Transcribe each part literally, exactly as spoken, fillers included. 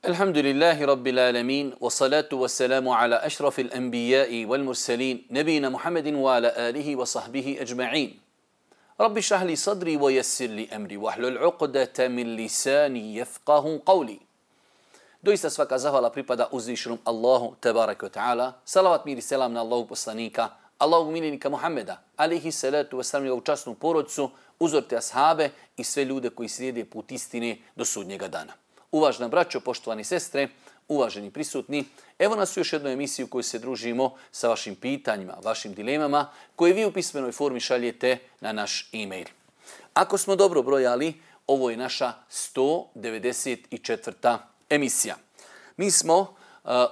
Alhamdulillahi Rabbil alamin, wa salatu wa salamu ala ašrafil anbijai wal mursalin, nebina Muhammedin wa ala alihi wa sahbihi ajma'in. Rabbi šahli sadri wa yassir li amri, wa hlul uqdata min lisani yafqahu qawli. Doista svaka zahvala pripada uzvišenom Allahu tebareke wa ta'ala. Salavat mir i selam na Allahu poslanika, Allahu miljenika Muhammeda, alihi salatu wa salam, njegovu časnu porodcu, uzorite ashabe i sve ljude koji slijede put istine do sudnjega dana. Uvažena braćo, poštovani sestre, uvaženi prisutni, evo nas u još jednu emisiju u kojoj se družimo sa vašim pitanjima, vašim dilemama, koje vi u pismenoj formi šaljete na naš e-mail. Ako smo dobro brojali, ovo je naša sto devedeset četvrta emisija. Mi smo uh,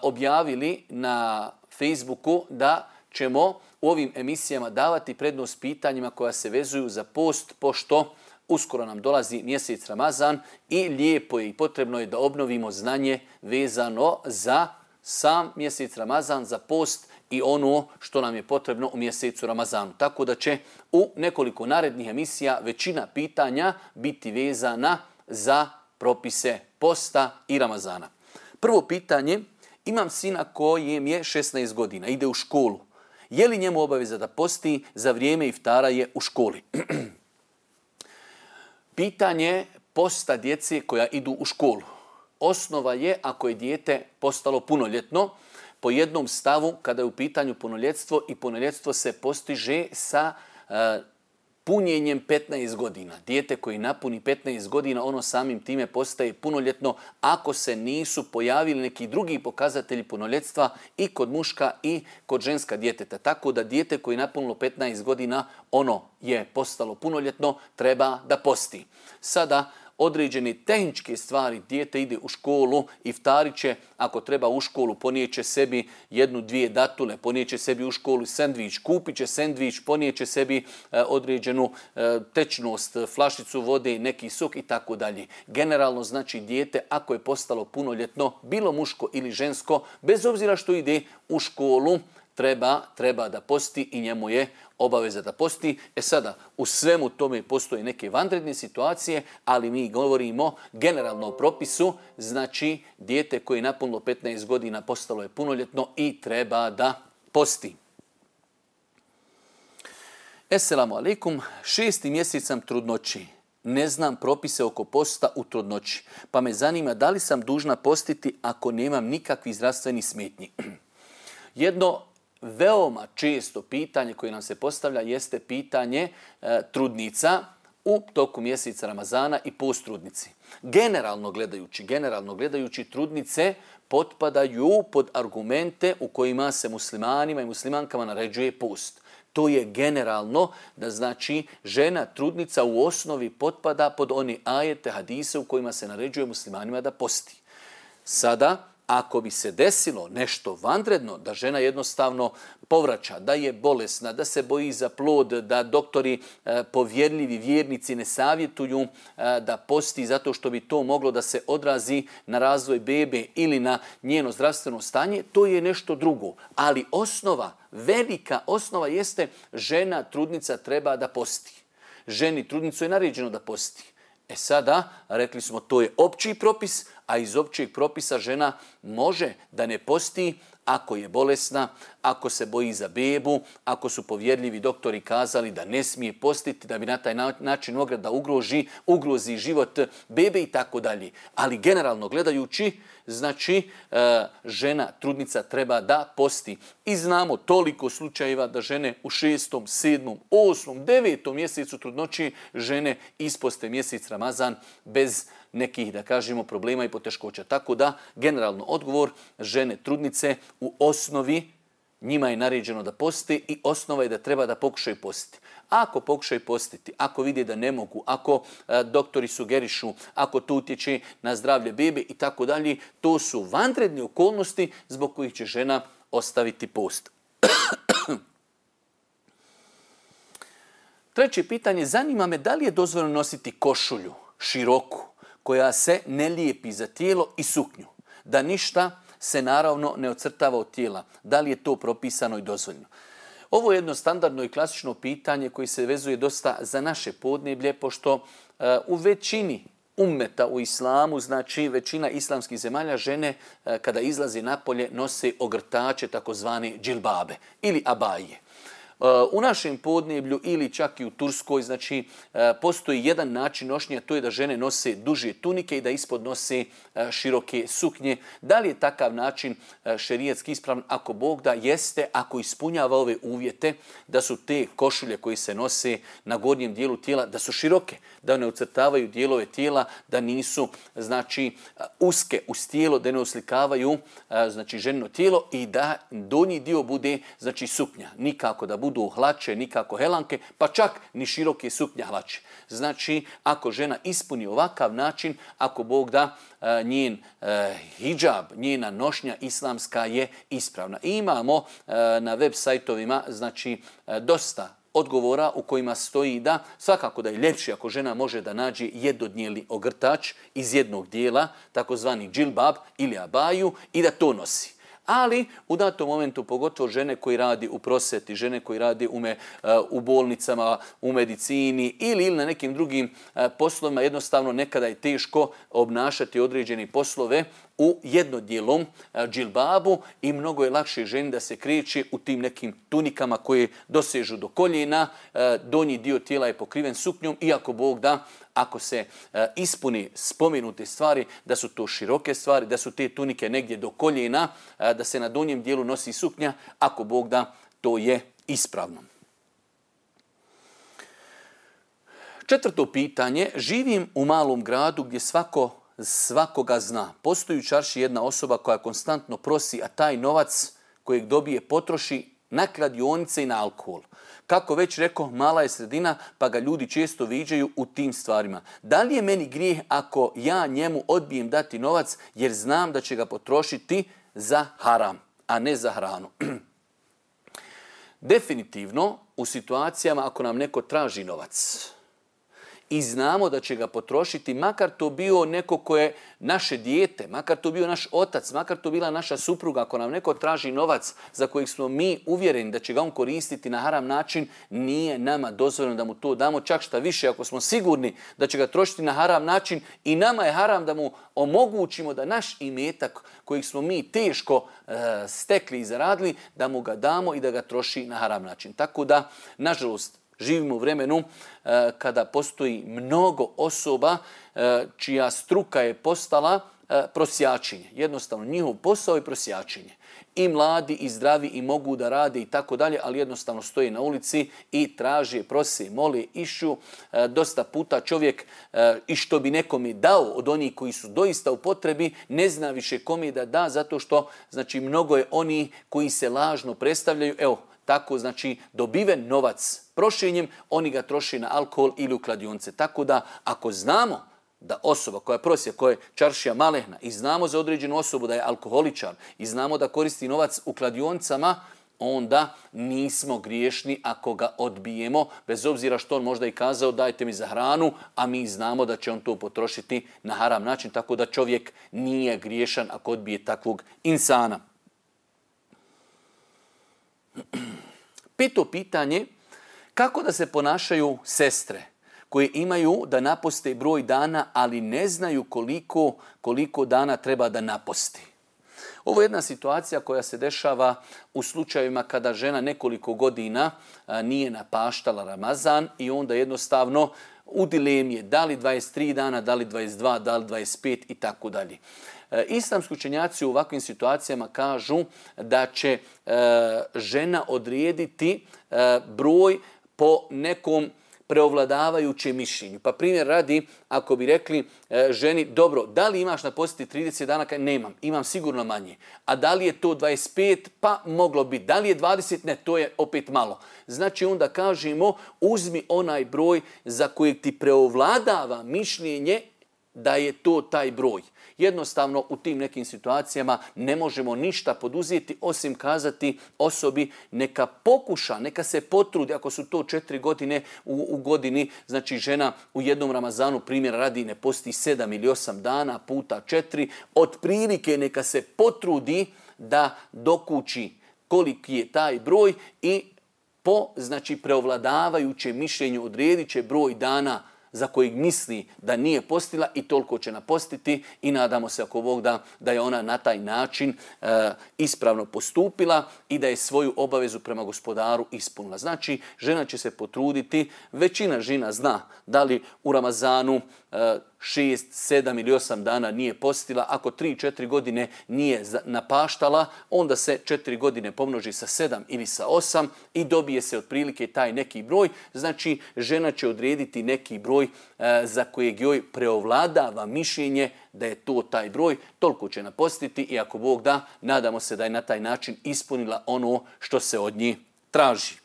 objavili na Facebooku da ćemo u ovim emisijama davati prednost pitanjima koja se vezuju za post, pošto uskoro nam dolazi mjesec Ramazan i lijepo je i potrebno je da obnovimo znanje vezano za sam mjesec Ramazan, za post i ono što nam je potrebno u mjesecu Ramazanu. Tako da će u nekoliko narednih emisija većina pitanja biti vezana za propise posta i Ramazana. Prvo pitanje, imam sina kojem je šesnaest godina, ide u školu. Je li njemu obaveza da posti, za vrijeme iftara je u školi? Pitanje posta djece koja idu u školu. Osnova je ako je dijete postalo punoljetno, po jednom stavu kada je u pitanju punoljetstvo i punoljetstvo se postiže sa uh, punjenjem petnaest godina. Dijete koji napuni petnaest godina, ono samim time postaje punoljetno ako se nisu pojavili neki drugi pokazatelji punoljetstva i kod muška i kod ženska djeteta. Tako da dijete koji napunilo petnaest godina, ono je postalo punoljetno, treba da posti. Sada određene tehničke stvari, dijete ide u školu, iftarit će, ako treba u školu, ponijeće sebi jednu, dvije datule, ponijeće sebi u školu sendvič, kupit će sendvič, ponijeće sebi e, određenu e, tečnost, flašicu vode, neki sok i tako dalje. Generalno znači dijete, ako je postalo punoljetno, bilo muško ili žensko, bez obzira što ide u školu, treba, treba da posti i njemu je obaveza da posti. E sada, u svemu tome postoje neke vanredne situacije, ali mi govorimo generalno o propisu, znači dijete koje je napunilo petnaest godina postalo je punoljetno i treba da posti. Esselamu alaikum, šesti mjesec sam trudnoći. Ne znam propise oko posta u trudnoći, pa me zanima da li sam dužna postiti ako nemam nikakvih zdravstvenih smetnji. Jedno veoma često pitanje koje nam se postavlja jeste pitanje e, trudnica u toku mjeseca Ramazana i post trudnici. Generalno gledajući, generalno gledajući trudnice potpadaju pod argumente u kojima se muslimanima i muslimankama naređuje post. To je generalno da znači žena trudnica u osnovi potpada pod one ajete, hadise u kojima se naređuje muslimanima da posti. Sada, ako bi se desilo nešto vanredno, da žena jednostavno povraća, da je bolesna, da se boji za plod, da doktori e, povjerljivi vjernici ne savjetuju e, da posti zato što bi to moglo da se odrazi na razvoj bebe ili na njeno zdravstveno stanje, to je nešto drugo. Ali osnova, velika osnova jeste žena trudnica treba da posti. Ženi trudnicu je naređeno da posti. E sada, rekli smo, to je opći propis, a iz općeg propisa žena može da ne posti ako je bolesna, ako se boji za bebu, ako su povjerljivi doktori kazali da ne smije postiti, da bi na taj način mogla da ugrozi, ugrozi život bebe i tako dalje. Ali generalno gledajući, znači žena, trudnica treba da posti. I znamo toliko slučajeva da žene u šestom, sedmom, osmom, devetom mjesecu trudnoći žene isposte mjesec Ramazan bez nekih, da kažemo, problema i poteškoća. Tako da, generalno odgovor, žene trudnice u osnovi njima je naređeno da poste i osnova je da treba da pokušaju postiti. Ako pokušaju postiti, ako vide da ne mogu, ako e, doktori sugerišu, ako to utječe na zdravlje bebe i tako dalje, to su vanredne okolnosti zbog kojih će žena ostaviti post. Treće pitanje, zanima me da li je dozvoljeno nositi košulju široku, koja se ne lijepi za tijelo i suknju, da ništa se naravno ne ocrtava od tijela. Da li je to propisano i dozvoljeno? Ovo je jedno standardno i klasično pitanje koji se vezuje dosta za naše podneblje, pošto uh, u većini ummeta u islamu, znači većina islamskih zemalja, žene kada izlazi napolje nose ogrtače, takozvane džilbabe ili abaje. U našem podneblju ili čak i u Turskoj, znači, postoji jedan način nošnja, to je da žene nose duže tunike i da ispod nose široke suknje. Da li je takav način šerijatski ispravan? Ako Bog da, jeste, ako ispunjava ove uvjete, da su te košulje koje se nose na gornjem dijelu tijela, da su široke, da ne ucrtavaju dijelove tijela, da nisu, znači, uske uz tijelo, da ne oslikavaju, znači, ženino tijelo i da donji dio bude, znači, suknja. Nikako da budu hlače, nikako helanke, pa čak ni široke suknja hlače. Znači, ako žena ispuni ovakav način, ako Bog da, njen hidžab, njena nošnja islamska je ispravna. I imamo na web sajtovima, znači, dosta odgovora u kojima stoji da svakako da je ljepše ako žena može da nađe jednodnijeli ogrtač iz jednog dijela, takozvani džilbab ili abaju, i da to nosi. Ali u datom momentu, pogotovo žene koji radi u prosvjeti, žene koji radi u, me, u bolnicama, u medicini ili, ili na nekim drugim poslovima, jednostavno nekada je teško obnašati određene poslove u jednodjelom džilbabu i mnogo je lakše ženi da se kreće u tim nekim tunikama koje dosežu do koljena, donji dio tijela je pokriven suknjom, iako Bog da, ako se ispuni spomenute stvari, da su to široke stvari, da su te tunike negdje do koljena, da se na donjem dijelu nosi suknja, ako Bog da, to je ispravno. Četvrto pitanje. Živim u malom gradu gdje svako svakoga zna. Postoji u čarši jedna osoba koja konstantno prosi, a taj novac kojeg dobije potroši na kladionice i na alkohol. Kako već rekao, mala je sredina, pa ga ljudi često viđaju u tim stvarima. Da li je meni grijeh ako ja njemu odbijem dati novac jer znam da će ga potrošiti za haram, a ne za hranu? Definitivno, u situacijama ako nam neko traži novac i znamo da će ga potrošiti, makar to bio neko ko je naše dijete, makar to bio naš otac, makar to bila naša supruga, ako nam neko traži novac za kojeg smo mi uvjereni da će ga on koristiti na haram način, nije nama dozvoljeno da mu to damo. Čak šta više, ako smo sigurni da će ga trošiti na haram način, i nama je haram da mu omogućimo da naš imetak kojeg smo mi teško e, stekli i zaradili, da mu ga damo i da ga troši na haram način. Tako da, nažalost, živimo u vremenu e, kada postoji mnogo osoba e, čija struka je postala e, prosjačenje. Jednostavno, njihov posao je prosjačenje. I mladi, i zdravi, i mogu da rade i tako dalje, ali jednostavno stoje na ulici i traže, prose, mole, išu. E, dosta puta čovjek e, i što bi nekome dao od onih koji su doista u potrebi, ne zna više kome da da, zato što, znači, mnogo je oni koji se lažno predstavljaju. Evo, tako, znači, dobiven novac prošenjem, oni ga troši na alkohol ili u kladionice. Tako da, ako znamo da osoba koja prosi, koja je čaršija malehna, i znamo za određenu osobu da je alkoholičar, i znamo da koristi novac u kladionicama, onda nismo griješni ako ga odbijemo, bez obzira što on možda i kazao dajte mi za hranu, a mi znamo da će on to potrošiti na haram način, tako da čovjek nije griješan ako odbije takvog insana. Peto pitanje, kako da se ponašaju sestre koje imaju da naposte broj dana, ali ne znaju koliko, koliko dana treba da naposti? Ovo je jedna situacija koja se dešava u slučajevima kada žena nekoliko godina nije napaštala Ramazan i onda jednostavno u dilemi je da li dvadeset tri dana, da li dvadeset dva, da li dvadeset pet i tako dalje. Islamski učenjaci u ovakvim situacijama kažu da će e, žena odrediti e, broj po nekom preovladavajućem mišljenju. Pa primjer radi, ako bi rekli e, ženi, dobro, da li imaš napostiti trideset dana? Kaj nemam, imam sigurno manje. A da li je to dvadeset pet? Pa moglo biti. Da li je dvadeset? Ne, to je opet malo. Znači onda kažemo, uzmi onaj broj za kojeg ti preovladava mišljenje da je to taj broj. Jednostavno u tim nekim situacijama ne možemo ništa poduzeti osim kazati osobi neka pokuša, neka se potrudi, ako su to četiri godine u, u godini, znači žena u jednom Ramazanu primjer radi ne posti sedam ili osam dana puta četiri, otprilike neka se potrudi da dokući koliki je taj broj i po, znači, preovladavajućem mišljenju odredit će broj dana za kojeg misli da nije postila i toliko će napostiti i nadamo se ako Bog da, da je ona na taj način e, ispravno postupila i da je svoju obavezu prema gospodaru ispunila. Znači, žena će se potruditi, većina žena zna da li u Ramazanu e, šest, sedam ili osam dana nije postila. Ako tri, četiri godine nije napaštala, onda se četiri godine pomnoži sa sedam ili sa osam i dobije se otprilike taj neki broj. Znači, žena će odrediti neki broj e, za kojeg joj preovladava mišljenje da je to taj broj. Toliko će napostiti i ako Bog da, nadamo se da je na taj način ispunila ono što se od nje traži.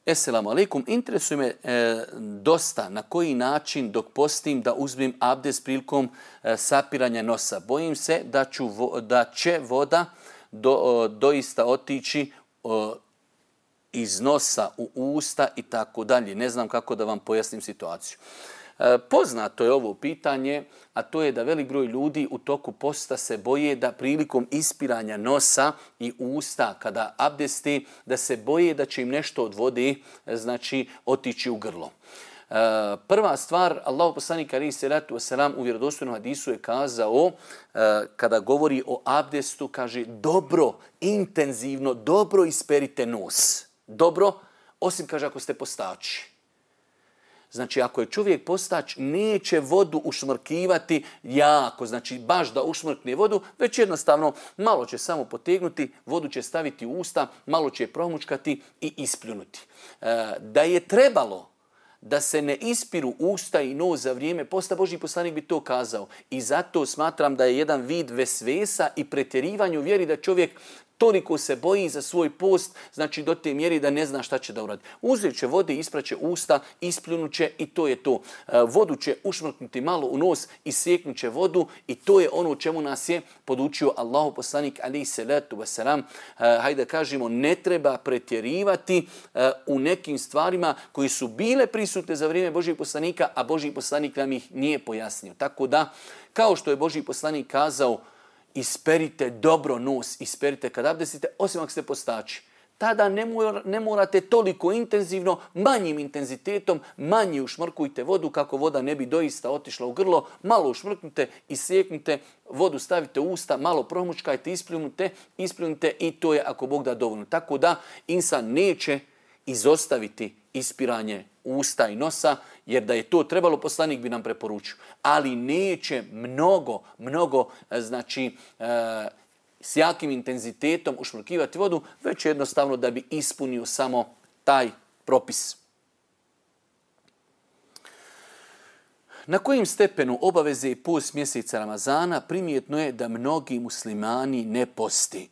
Esselamu alaikum. Interesuje me e, dosta na koji način dok postim da uzmem abdest prilikom e, sapiranja nosa. Bojim se da, ću vo, da će voda do, o, doista otići o, iz nosa u usta i tako dalje. Ne znam kako da vam pojasnim situaciju. E, poznato je ovo pitanje, a to je da velik broj ljudi u toku posta se boje da prilikom ispiranja nosa i usta kada abdesti, da se boje da će im nešto od vode, znači, otići u grlo. E, prva stvar, Allahu poslanik alejhi selatu vesselam u vjerodostojnom hadisu je kazao, e, kada govori o abdestu, kaže dobro, intenzivno, dobro isperite nos. Dobro, osim, kaže, ako ste postači. Znači, ako je čovjek postač, neće vodu ušmrkivati jako, znači baš da ušmrkne vodu, već jednostavno malo će samo potegnuti, vodu će staviti u usta, malo će je promučkati i ispljunuti. E, da je trebalo da se ne ispiru usta i nos za vrijeme posta, Božji poslanik bi to kazao. I zato smatram da je jedan vid vesvesa i pretjerivanja u vjeri da čovjek toliko se boji za svoj post, znači do te mjeri da ne zna šta će da uradi. Uzet će vode, ispraće usta, ispljunut će i to je to. Vodu će ušmrknuti malo u nos, isjeknut će vodu i to je ono čemu nas je podučio Allahu poslanik alejhi selatu vesselam. Hajde kažemo, ne treba pretjerivati u nekim stvarima koji su bile prisutne za vrijeme Božjeg poslanika, a Božji poslanik nam ih nije pojasnio. Tako da, kao što je Božji poslanik kazao, isperite dobro nos, isperite kad abdestite, osim ako ste postači. Tada ne, mora, ne morate toliko intenzivno, manjim intenzitetom, manje ušmrkujte vodu kako voda ne bi doista otišla u grlo, malo ušmrknute, isjeknite, vodu stavite u usta, malo promučkajte, ispljunite, ispljunite i to je ako Bog da dovoljno. Tako da insan neće izostaviti ispiranje usta i nosa, jer da je to trebalo, poslanik bi nam preporučio. Ali neće mnogo, mnogo, znači, e, s jakim intenzitetom ušmrkivati vodu, već jednostavno da bi ispunio samo taj propis. Na kojim stepenu obaveze i post mjeseca Ramazana primjetno je da mnogi muslimani ne posti?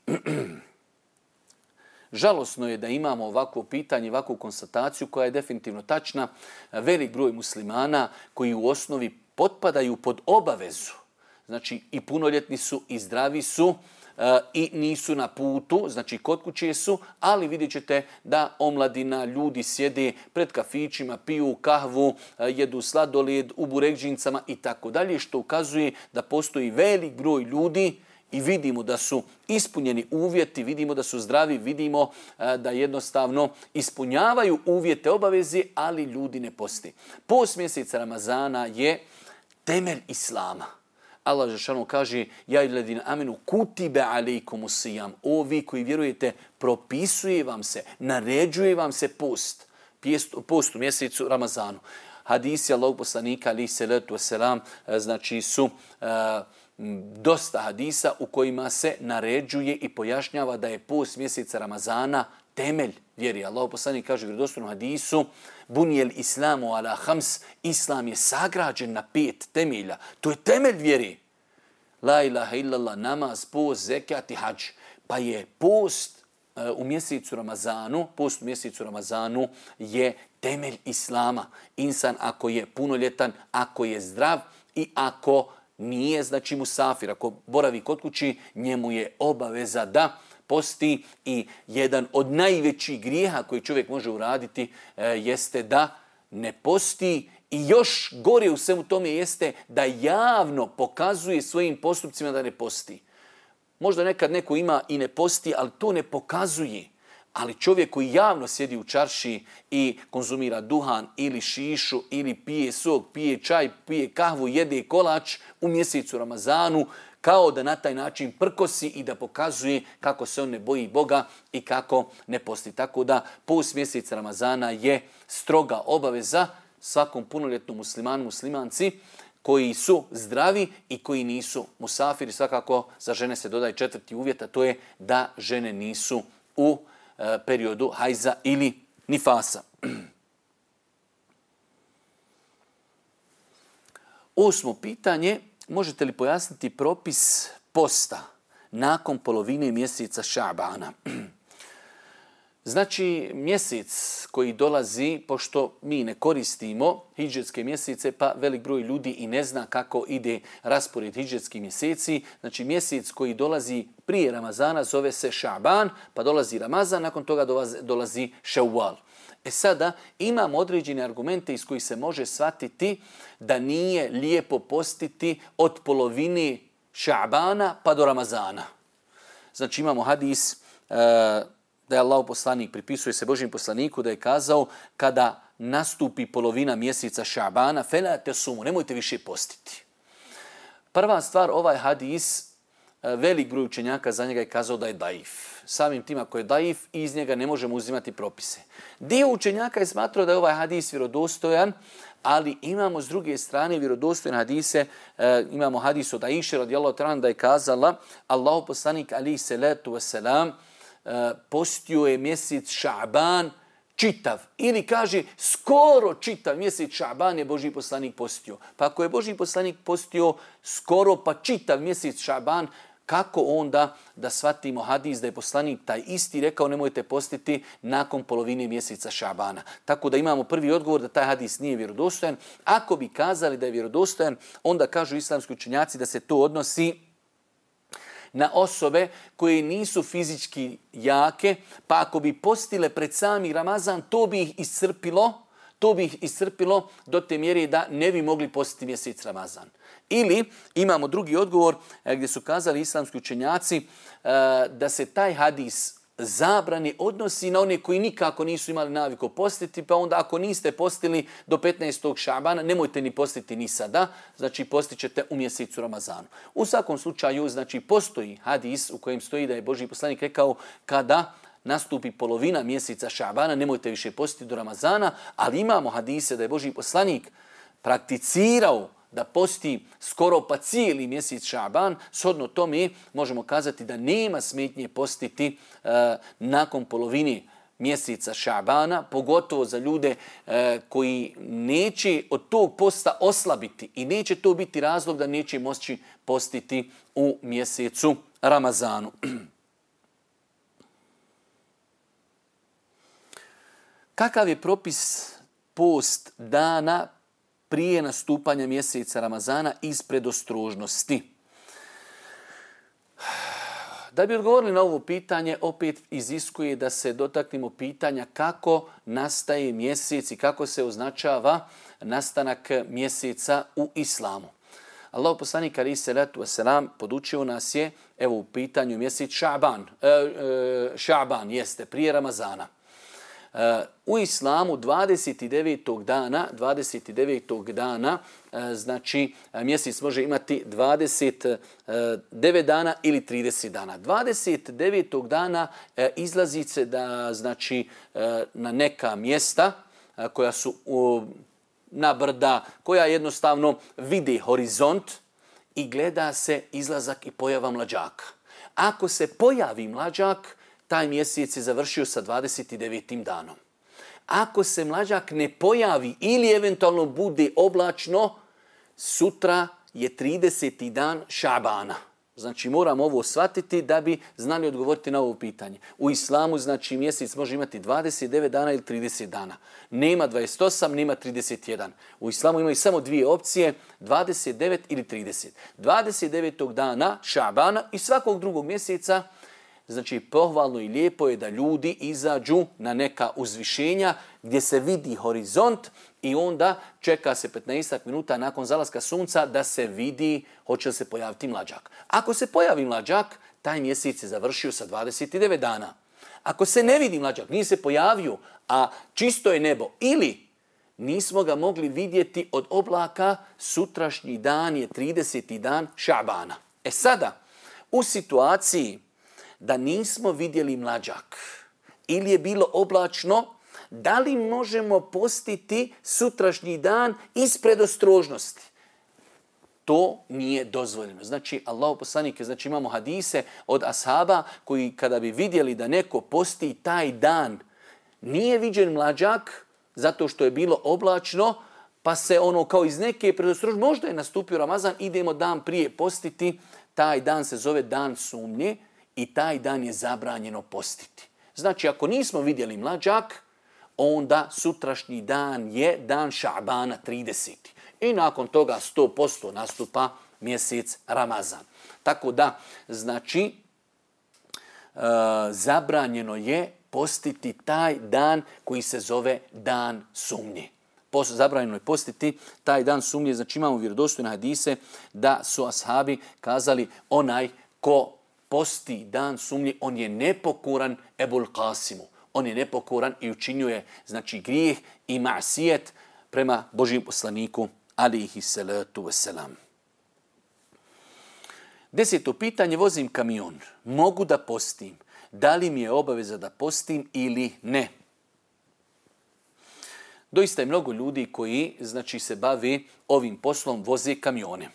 Žalosno je da imamo ovakvo pitanje, ovakvu konstataciju koja je definitivno tačna. Velik broj muslimana koji u osnovi potpadaju pod obavezu, znači i punoljetni su i zdravi su e, i nisu na putu, znači kod kuće su, ali vidjet ćete da omladina, ljudi sjede pred kafićima, piju kahvu, e, jedu sladoled u burekdžincama i tako dalje, što ukazuje da postoji velik broj ljudi i vidimo da su ispunjeni uvjeti, vidimo da su zdravi, vidimo da jednostavno ispunjavaju uvjete obaveze, ali ljudi ne posti. Post mjeseca Ramazana je temelj Islama. Allah dželle kaže: "Ja ayyuhallazina amenu kutiba alejkumus siyam." O vi koji vjerujete, propisuje vam se, naređuje vam se post. Post u mjesecu Ramazanu. Hadisi Allahovog poslanika alejhi selatu vesselam, znači su uh, dosta hadisa u kojima se naređuje i pojašnjava da je post mjeseca Ramazana temelj vjeri. Allahov poslanik kaže u vjerodostojnom hadisu: "Bunijel islamu ala hams." Islam je sagrađen na pet temelja. To je temelj vjeri. La ilaha illallah, namaz, post, zekat i hadž. Pa je post u mjesecu Ramazanu, post u mjesecu Ramazanu je temelj Islama. Insan ako je punoljetan, ako je zdrav i ako nije, znači musafir, ako boravi kod kući, njemu je obaveza da posti i jedan od najvećih grijeha koji čovjek može uraditi e, jeste da ne posti i još gore u svemu tome jeste da javno pokazuje svojim postupcima da ne posti. Možda nekad neko ima i ne posti, ali to ne pokazuje. Ali čovjek koji javno sjedi u čarši i konzumira duhan ili šišu ili pije sok, pije čaj, pije kahvu, jede kolač u mjesecu Ramazanu, kao da na taj način prkosi i da pokazuje kako se on ne boji Boga i kako ne posti. Tako da post mjeseca Ramazana je stroga obaveza svakom punoljetnom muslimanu, muslimanci koji su zdravi i koji nisu musafiri. Svakako za žene se dodaje četvrti uvjet, a to je da žene nisu u e, periodu hajza ili nifasa. Osmo pitanje. Možete li pojasniti propis posta nakon polovine mjeseca Šabana? Znači, mjesec koji dolazi, pošto mi ne koristimo hidžetske mjesece, pa velik broj ljudi i ne zna kako ide raspored hidžetskih mjeseci. Znači, mjesec koji dolazi prije Ramazana zove se Šaban, pa dolazi Ramazan, nakon toga dolazi, dolazi Ševval. E sada imamo određene argumente iz kojih se može shvatiti da nije lijepo postiti od polovine Šabana pa do Ramazana. Znači imamo hadis e, da je Allah poslanik, pripisuje se Božjem poslaniku, da je kazao kada nastupi polovina mjeseca Šabana, fela te sumu, nemojte više postiti. Prva stvar, ovaj hadis, velik broj učenjaka za njega je kazao da je daif. Samim tim ako je daif, iz njega ne možemo uzimati propise. Dio učenjaka je smatrao da je ovaj hadis vjerodostojan, ali imamo s druge strane vjerodostojne hadise, e, imamo hadis od Aisha radijallahu ta'ala da je kazala Allahu poslanik alejhi salatu vesselam e, postio je mjesec Šaban čitav. Ili kaže skoro čitav mjesec Šaban je Božji poslanik postio. Pa ako je Božji poslanik postio skoro pa čitav mjesec Šaban, kako onda da shvatimo hadis da je poslanik taj isti rekao nemojte postiti nakon polovine mjeseca Šabana. Tako da imamo prvi odgovor da taj hadis nije vjerodostojan. Ako bi kazali da je vjerodostojan, onda kažu islamski učenjaci da se to odnosi na osobe koje nisu fizički jake, pa ako bi postile pred sami Ramazan, to bi ih iscrpilo, to bi ih iscrpilo do te mjere da ne bi mogli postiti mjesec Ramazan. Ili imamo drugi odgovor gdje su kazali islamski učenjaci da se taj hadis zabrane odnosi na one koji nikako nisu imali naviku postiti, pa onda ako niste postili do petnaestog Šabana, nemojte ni postiti ni sada, znači postit ćete u mjesecu Ramazanu. U svakom slučaju, znači postoji hadis u kojem stoji da je Božji poslanik rekao kada nastupi polovina mjeseca Šabana, nemojte više postiti do Ramazana, ali imamo hadise da je Božji poslanik prakticirao da posti skoro pa cijeli mjesec Šaban, shodno tome možemo kazati da nema smetnje postiti e, nakon polovine mjeseca Šabana, pogotovo za ljude e, koji neće od tog posta oslabiti i neće to biti razlog da neće moći postiti u mjesecu Ramazanu. Kakav je propis post dana prije nastupanja mjeseca Ramazana iz predostrožnosti? Da bi odgovorili na ovo pitanje, opet iziskuje da se dotaknemo pitanja kako nastaje mjesec i kako se označava nastanak mjeseca u islamu. Allah poslanik alejhi salatu vesselam podučio nas je, evo u pitanju mjesec Šaban, e, e, Šaban jeste prije Ramazana. U islamu dvadeset devetog dana, dvadeset devetog dana, znači mjesec može imati dvadeset devet dana ili trideset dana. dvadeset devetog dana izlazi se da, znači, na neka mjesta koja su na brda, koja jednostavno vidi horizont i gleda se izlazak i pojava mlađaka. Ako se pojavi mlađak, taj mjesec je završio sa dvadeset devetim danom. Ako se mlađak ne pojavi ili eventualno bude oblačno, sutra je trideseti dan Šabana. Znači moramo ovo shvatiti da bi znali odgovoriti na ovo pitanje. U islamu znači mjesec može imati dvadeset devet dana ili trideset dana. Nema dvadeset osam, nema trideset jedan. U islamu imaju samo dvije opcije, dvadeset devet ili trideset. dvadeset devetog dana Šabana i svakog drugog mjeseca, znači pohvalno i lijepo je da ljudi izađu na neka uzvišenja gdje se vidi horizont i onda čeka se petnaest minuta nakon zalaska sunca da se vidi hoće li se pojaviti mlađak. Ako se pojavi mlađak, taj mjesec je završio sa dvadeset devet dana. Ako se ne vidi mlađak, nije se pojavio, a čisto je nebo, ili nismo ga mogli vidjeti od oblaka, sutrašnji dan je trideseti dan Šabana. E sada, u situaciji da nismo vidjeli mlađak ili je bilo oblačno, da li možemo postiti sutrašnji dan iz predostrožnosti? To nije dozvoljeno. Znači, Allahu poslanik, znači imamo hadise od ashaba koji kada bi vidjeli da neko posti taj dan, nije viđen mlađak zato što je bilo oblačno, pa se ono kao iz neke predostrožnosti, možda je nastupio Ramazan, idemo dan prije postiti, taj dan se zove dan sumnje i taj dan je zabranjeno postiti. Znači, ako nismo vidjeli mlađak, onda sutrašnji dan je dan Šabana trideseti. I nakon toga sto posto nastupa mjesec Ramazan. Tako da, znači, e, zabranjeno je postiti taj dan koji se zove dan sumnje. Post, zabranjeno je postiti taj dan sumnje. Znači, imamo vjerodostojne hadise da su ashabi kazali onaj ko posti dan sumnje, on je nepokoran Ebul Qasimu. On je nepokoran i učinio je, znači, grijeh i ma'sijet prema Božijem poslaniku, alihi salatu wasalam. Deseto pitanje, vozim kamion. Mogu da postim? Da li mi je obaveza da postim ili ne? Doista je mnogo ljudi koji, znači, se bavi ovim poslom, voze kamione.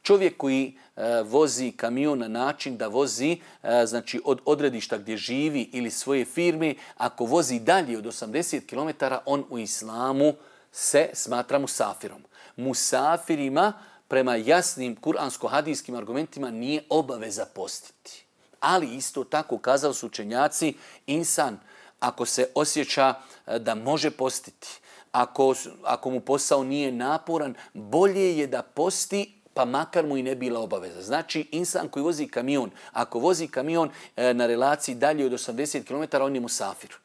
Čovjek koji e, vozi kamion na način da vozi e, znači od odredišta gdje živi ili svoje firme, ako vozi dalje od osamdeset kilometara, on u islamu se smatra musafirom. Musafirima prema jasnim kuransko-hadijskim argumentima nije obaveza postiti. Ali isto tako kazali su učenjaci, insan ako se osjeća da može postiti, ako, ako mu posao nije naporan, bolje je da posti, pa makar mu i ne bila obaveza. Znači, insan koji vozi kamion, ako vozi kamion e, na relaciji dalje od osamdeset kilometara, on je musafir.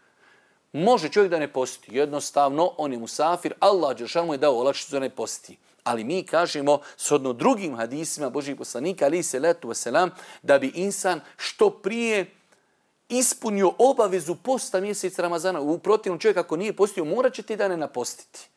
Može čovjek da ne posti. Jednostavno, on je musafir. Allah dželešanu mu je dao olakšicu da ne posti. Ali mi kažemo, shodno drugim hadisima Božijeg poslanika, alihi salatu wasalam, da bi insan što prije ispunio obavezu posta mjeseca Ramazana. U protivnom, čovjek ako nije postio, morat će ti dane napostiti.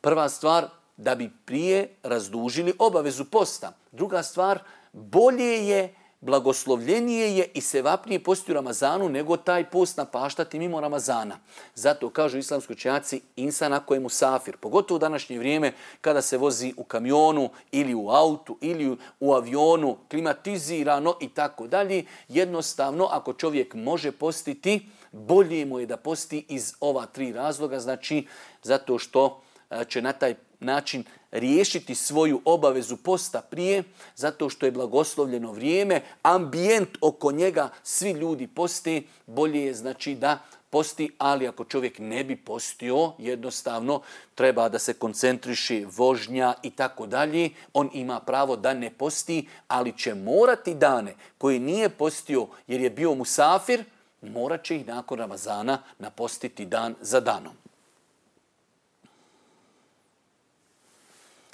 Prva stvar, da bi prije razdužili obavezu posta. Druga stvar, bolje je, blagoslovljenije je i sevapnije posti u Ramazanu nego taj post napaštati mimo Ramazana. Zato kažu islamski učenjaci, insan ako je musafir, pogotovo u današnje vrijeme kada se vozi u kamionu ili u autu ili u avionu, klimatizirano i tako dalje, jednostavno ako čovjek može postiti, bolje mu je da posti iz ova tri razloga, znači zato što će na taj način riješiti svoju obavezu posta prije, zato što je blagoslovljeno vrijeme, ambijent oko njega, svi ljudi poste, bolje je znači da posti, ali ako čovjek ne bi postio, jednostavno treba da se koncentriše vožnja i tako dalje, on ima pravo da ne posti, ali će morati dane koje nije postio jer je bio musafir, morat će ih nakon Ramazana napostiti dan za danom.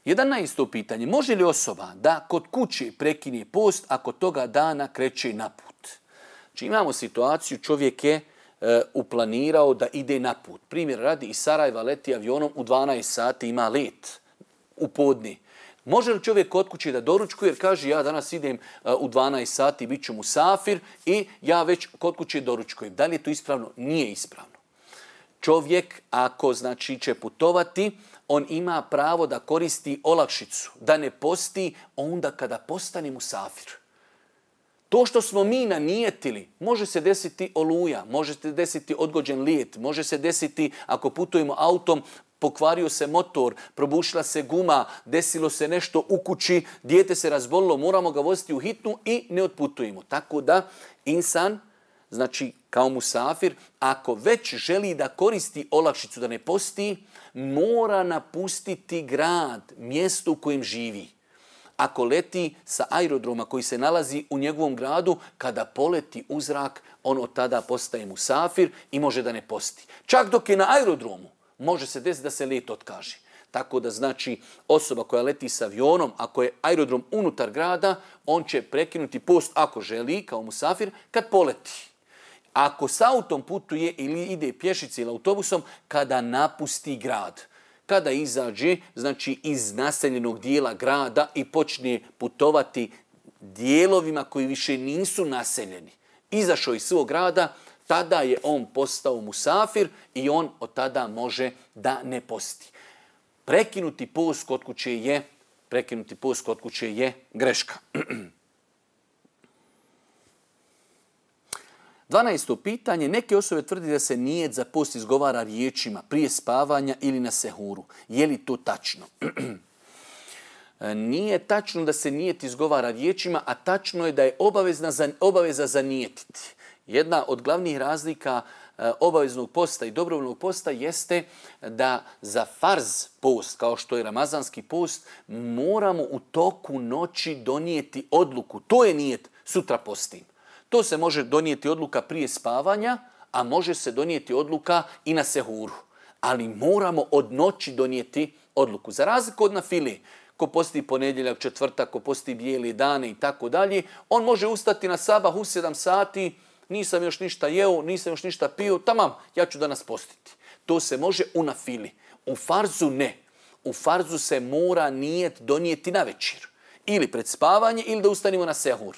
jedanaesto pitanje. Može li osoba da kod kuće prekine post ako toga dana kreće na put? Znači imamo situaciju, čovjek je e, uplanirao da ide na put. Primjer radi, iz Sarajeva leti avionom, u dvanaest sati ima let u podne. Može li čovjek kod kuće da doručkuje jer kaže ja danas idem e, u dvanaest sati, bit ću musafir i ja već kod kuće doručkujem. Da li je to ispravno? Nije ispravno. Čovjek ako znači će putovati, on ima pravo da koristi olakšicu, da ne posti onda kada postane musafir. To što smo mi nanijetili, može se desiti oluja, može se desiti odgođen lijet, može se desiti ako putujemo autom, pokvario se motor, probušila se guma, desilo se nešto u kući, dijete se razbolilo, moramo ga voziti u hitnu i ne otputujemo. Tako da insan, znači kao musafir, ako već želi da koristi olakšicu, da ne posti, mora napustiti grad, mjesto u kojem živi. Ako leti sa aerodroma koji se nalazi u njegovom gradu, kada poleti u zrak, on od tada postaje musafir i može da ne posti. Čak dok je na aerodromu, može se desiti da se let otkaže. Tako da znači osoba koja leti sa avionom, ako je aerodrom unutar grada, on će prekinuti post ako želi kao musafir kad poleti. Ako s autom putuje ili ide pješice ili autobusom, kada napusti grad. Kada izađe, znači iz naseljenog dijela grada i počne putovati dijelovima koji više nisu naseljeni. Izašao iz svog grada, tada je on postao musafir i on od tada može da ne posti. Prekinuti post kod kuće je, prekinuti post kod kuće je greška. Dvanaesto pitanje. Neke osobe tvrdi da se nijet za post izgovara riječima prije spavanja ili na sehuru. Je li to tačno? Nije tačno da se nijet izgovara riječima, a tačno je da je obavezna za, obaveza zanijetiti. Jedna od glavnih razlika obaveznog posta i dobrovoljnog posta jeste da za farz post, kao što je ramazanski post, moramo u toku noći donijeti odluku. To je nijet, sutra postim. To se može donijeti odluka prije spavanja, a može se donijeti odluka i na sehuru. Ali moramo od noći donijeti odluku. Za razliku od nafile, ko posti ponedjeljak, četvrtak, ko posti bijeli dane i tako dalje, on može ustati na sabah u sedam sati, nisam još ništa jeo, nisam još ništa pio, tamam, ja ću danas postiti. To se može u nafili. U farzu ne. U farzu se mora nijet donijeti na večer. Ili pred spavanje, ili da ustanimo na sehur.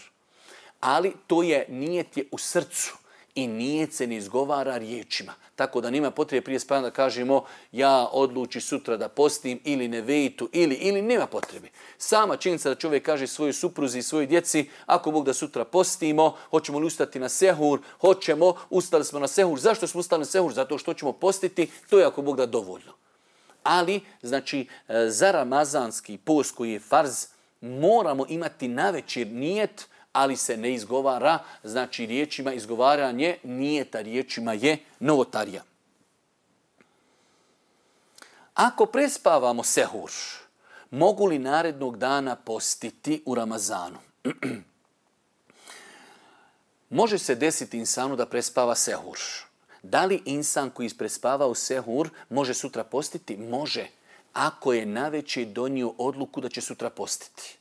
Ali to je nijet je u srcu i nijet se ne izgovara riječima. Tako da nema potrebe prije spavanja da kažemo ja odluči sutra da postim ili ne vejtu ili, ili nema potrebe. Sama činjenica da čovjek kaže svojoj supruzi i svojoj djeci ako Bog da sutra postimo, hoćemo li ustati na sehur, hoćemo, ustali smo na sehur. Zašto smo ustali na sehur? Zato što ćemo postiti, to je ako Bog da dovoljno. Ali, znači, za ramazanski post koji je farz, moramo imati navečer nijet, ali se ne izgovara, znači riječima izgovaranje nijeta riječima je novotarija. Ako prespavamo sehur, mogu li narednog dana postiti u Ramazanu? Može se desiti insanu da prespava sehur. Da li insan koji je prespavao sehur može sutra postiti? Može, ako je navečer donio odluku da će sutra postiti.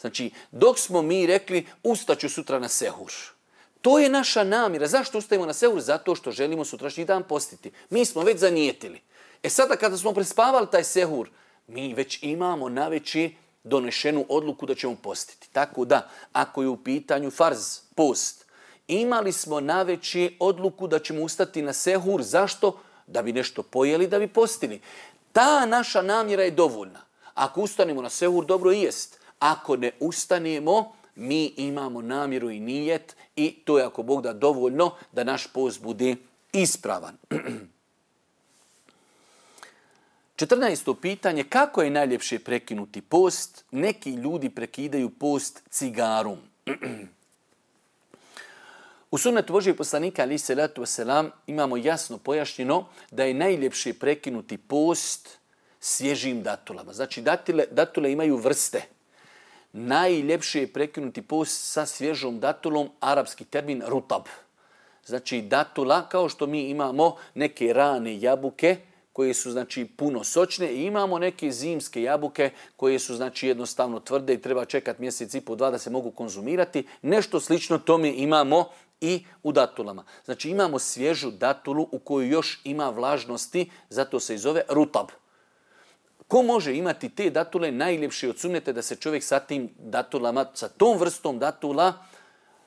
Znači, dok smo mi rekli ustaću sutra na sehur. To je naša namjera. Zašto ustajemo na sehur? Zato što želimo sutrašnji dan postiti. Mi smo već zanijetili. E sada kada smo prespavali taj sehur, mi već imamo navečer donešenu odluku da ćemo postiti. Tako da, ako je u pitanju farz, post, imali smo navečer odluku da ćemo ustati na sehur. Zašto? Da bi nešto pojeli, da bi postili. Ta naša namjera je dovoljna. Ako ustanemo na sehur, dobro i jest. Ako ne ustanemo, mi imamo namjeru i nijet i to je ako Bog da dovoljno da naš post bude ispravan. četrnaesto pitanje. Kako je najljepše prekinuti post? Neki ljudi prekidaju post cigarom. U sunnetu Božijeg poslanika alejhi selatu vesselam imamo jasno pojašnjeno da je najljepše prekinuti post svježim datulama. Znači datule, datule imaju vrste. Najljepše je prekinuti post sa svježom datulom, arapski termin rutab. Znači datula, kao što mi imamo neke rane jabuke koje su znači puno sočne i imamo neke zimske jabuke koje su znači jednostavno tvrde i treba čekati mjesec i po dva da se mogu konzumirati. Nešto slično tome imamo i u datulama. Znači imamo svježu datulu u kojoj još ima vlažnosti, zato se i zove rutab. Ko može imati te datule? Najljepše od sunneta da se čovjek sa tim datulama, sa tom vrstom datula,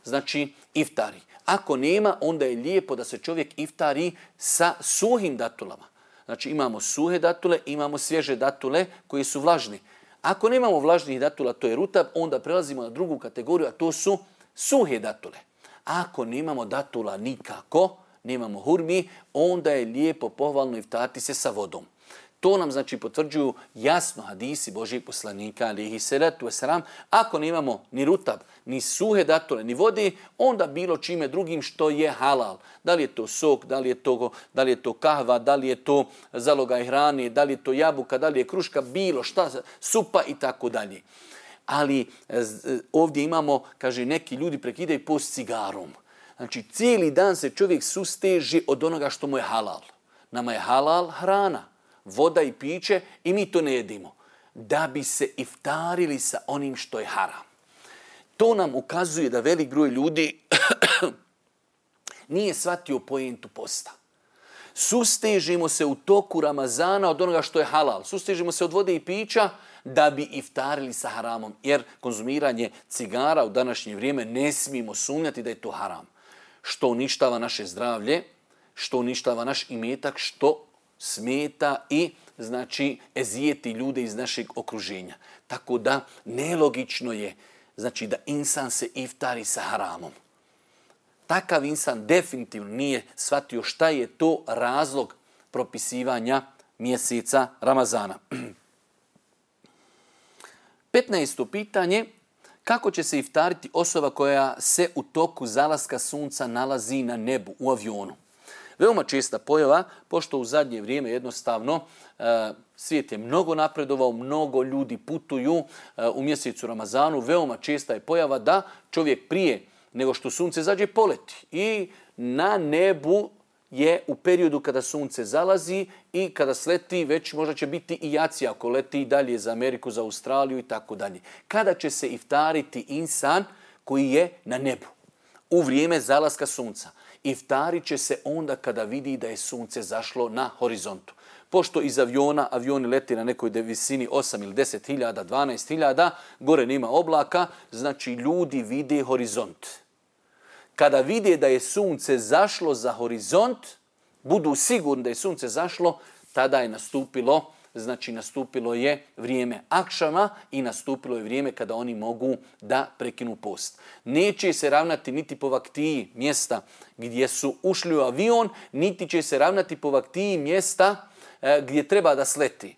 znači iftari. Ako nema, onda je lijepo da se čovjek iftari sa suhim datulama. Znači imamo suhe datule, imamo svježe datule koji su vlažni. Ako nemamo vlažnih datula, to je rutab, onda prelazimo na drugu kategoriju, a to su suhe datule. Ako nemamo datula nikako, nemamo hurmi, onda je lijepo pohvalno iftariti se sa vodom. To nam znači potvrđuju jasno hadisi Božijeg poslanika alejhi selatu vesselam. Ako nemamo ni rutab, ni suhe datule, ni vode, onda bilo čime drugim što je halal. Da li je to sok, da li je to, da li je to kahva, da li je to zalogaj hrane, da li je to jabuka, da li je kruška, bilo šta, supa i tako dalje. Ali ovdje imamo, kaže, neki ljudi prekidaju post cigarom. Znači cijeli dan se čovjek susteži od onoga što mu je halal. Nama je halal hrana, voda i piće i mi to ne jedimo. Da bi se iftarili sa onim što je haram. To nam ukazuje da velik broj ljudi Nije shvatio pojentu posta. Sustežimo se u toku Ramazana od onoga što je halal. Sustežimo se od vode i pića da bi iftarili sa haramom. Jer konzumiranje cigara u današnje vrijeme ne smijemo sumnjati da je to haram. Što uništava naše zdravlje, što uništava naš imetak, što smeta i znači ezijeti ljude iz našeg okruženja. Tako da nelogično je znači da insan se iftari sa haramom. Takav insan definitivno nije shvatio šta je to razlog propisivanja mjeseca Ramazana. petnaesto pitanje. Kako će se iftariti osoba koja se u toku zalaska sunca nalazi na nebu, u avionu? Veoma česta pojava, pošto u zadnje vrijeme jednostavno svijet je mnogo napredovao, mnogo ljudi putuju u mjesecu Ramazanu. Veoma česta je pojava da čovjek prije nego što sunce zađe poleti. I na nebu je u periodu kada sunce zalazi i kada sleti, već možda će biti i jacija ako leti dalje za Ameriku, za Australiju i tako dalje. Kada će se iftariti insan koji je na nebu u vrijeme zalaska sunca? Iftarit će se onda kada vidi da je sunce zašlo na horizontu. Pošto iz aviona, avioni leti na nekoj visini osam ili deset hiljada, dvanaest hiljada, gore nema oblaka, znači ljudi vide horizont. Kada vide da je sunce zašlo za horizont, budu sigurni da je sunce zašlo, tada je nastupilo, znači nastupilo je vrijeme akšama i nastupilo je vrijeme kada oni mogu da prekinu post. Neće se ravnati niti po vaktiji mjesta gdje su ušli u avion, niti će se ravnati po vaktiji mjesta e, gdje treba da sleti.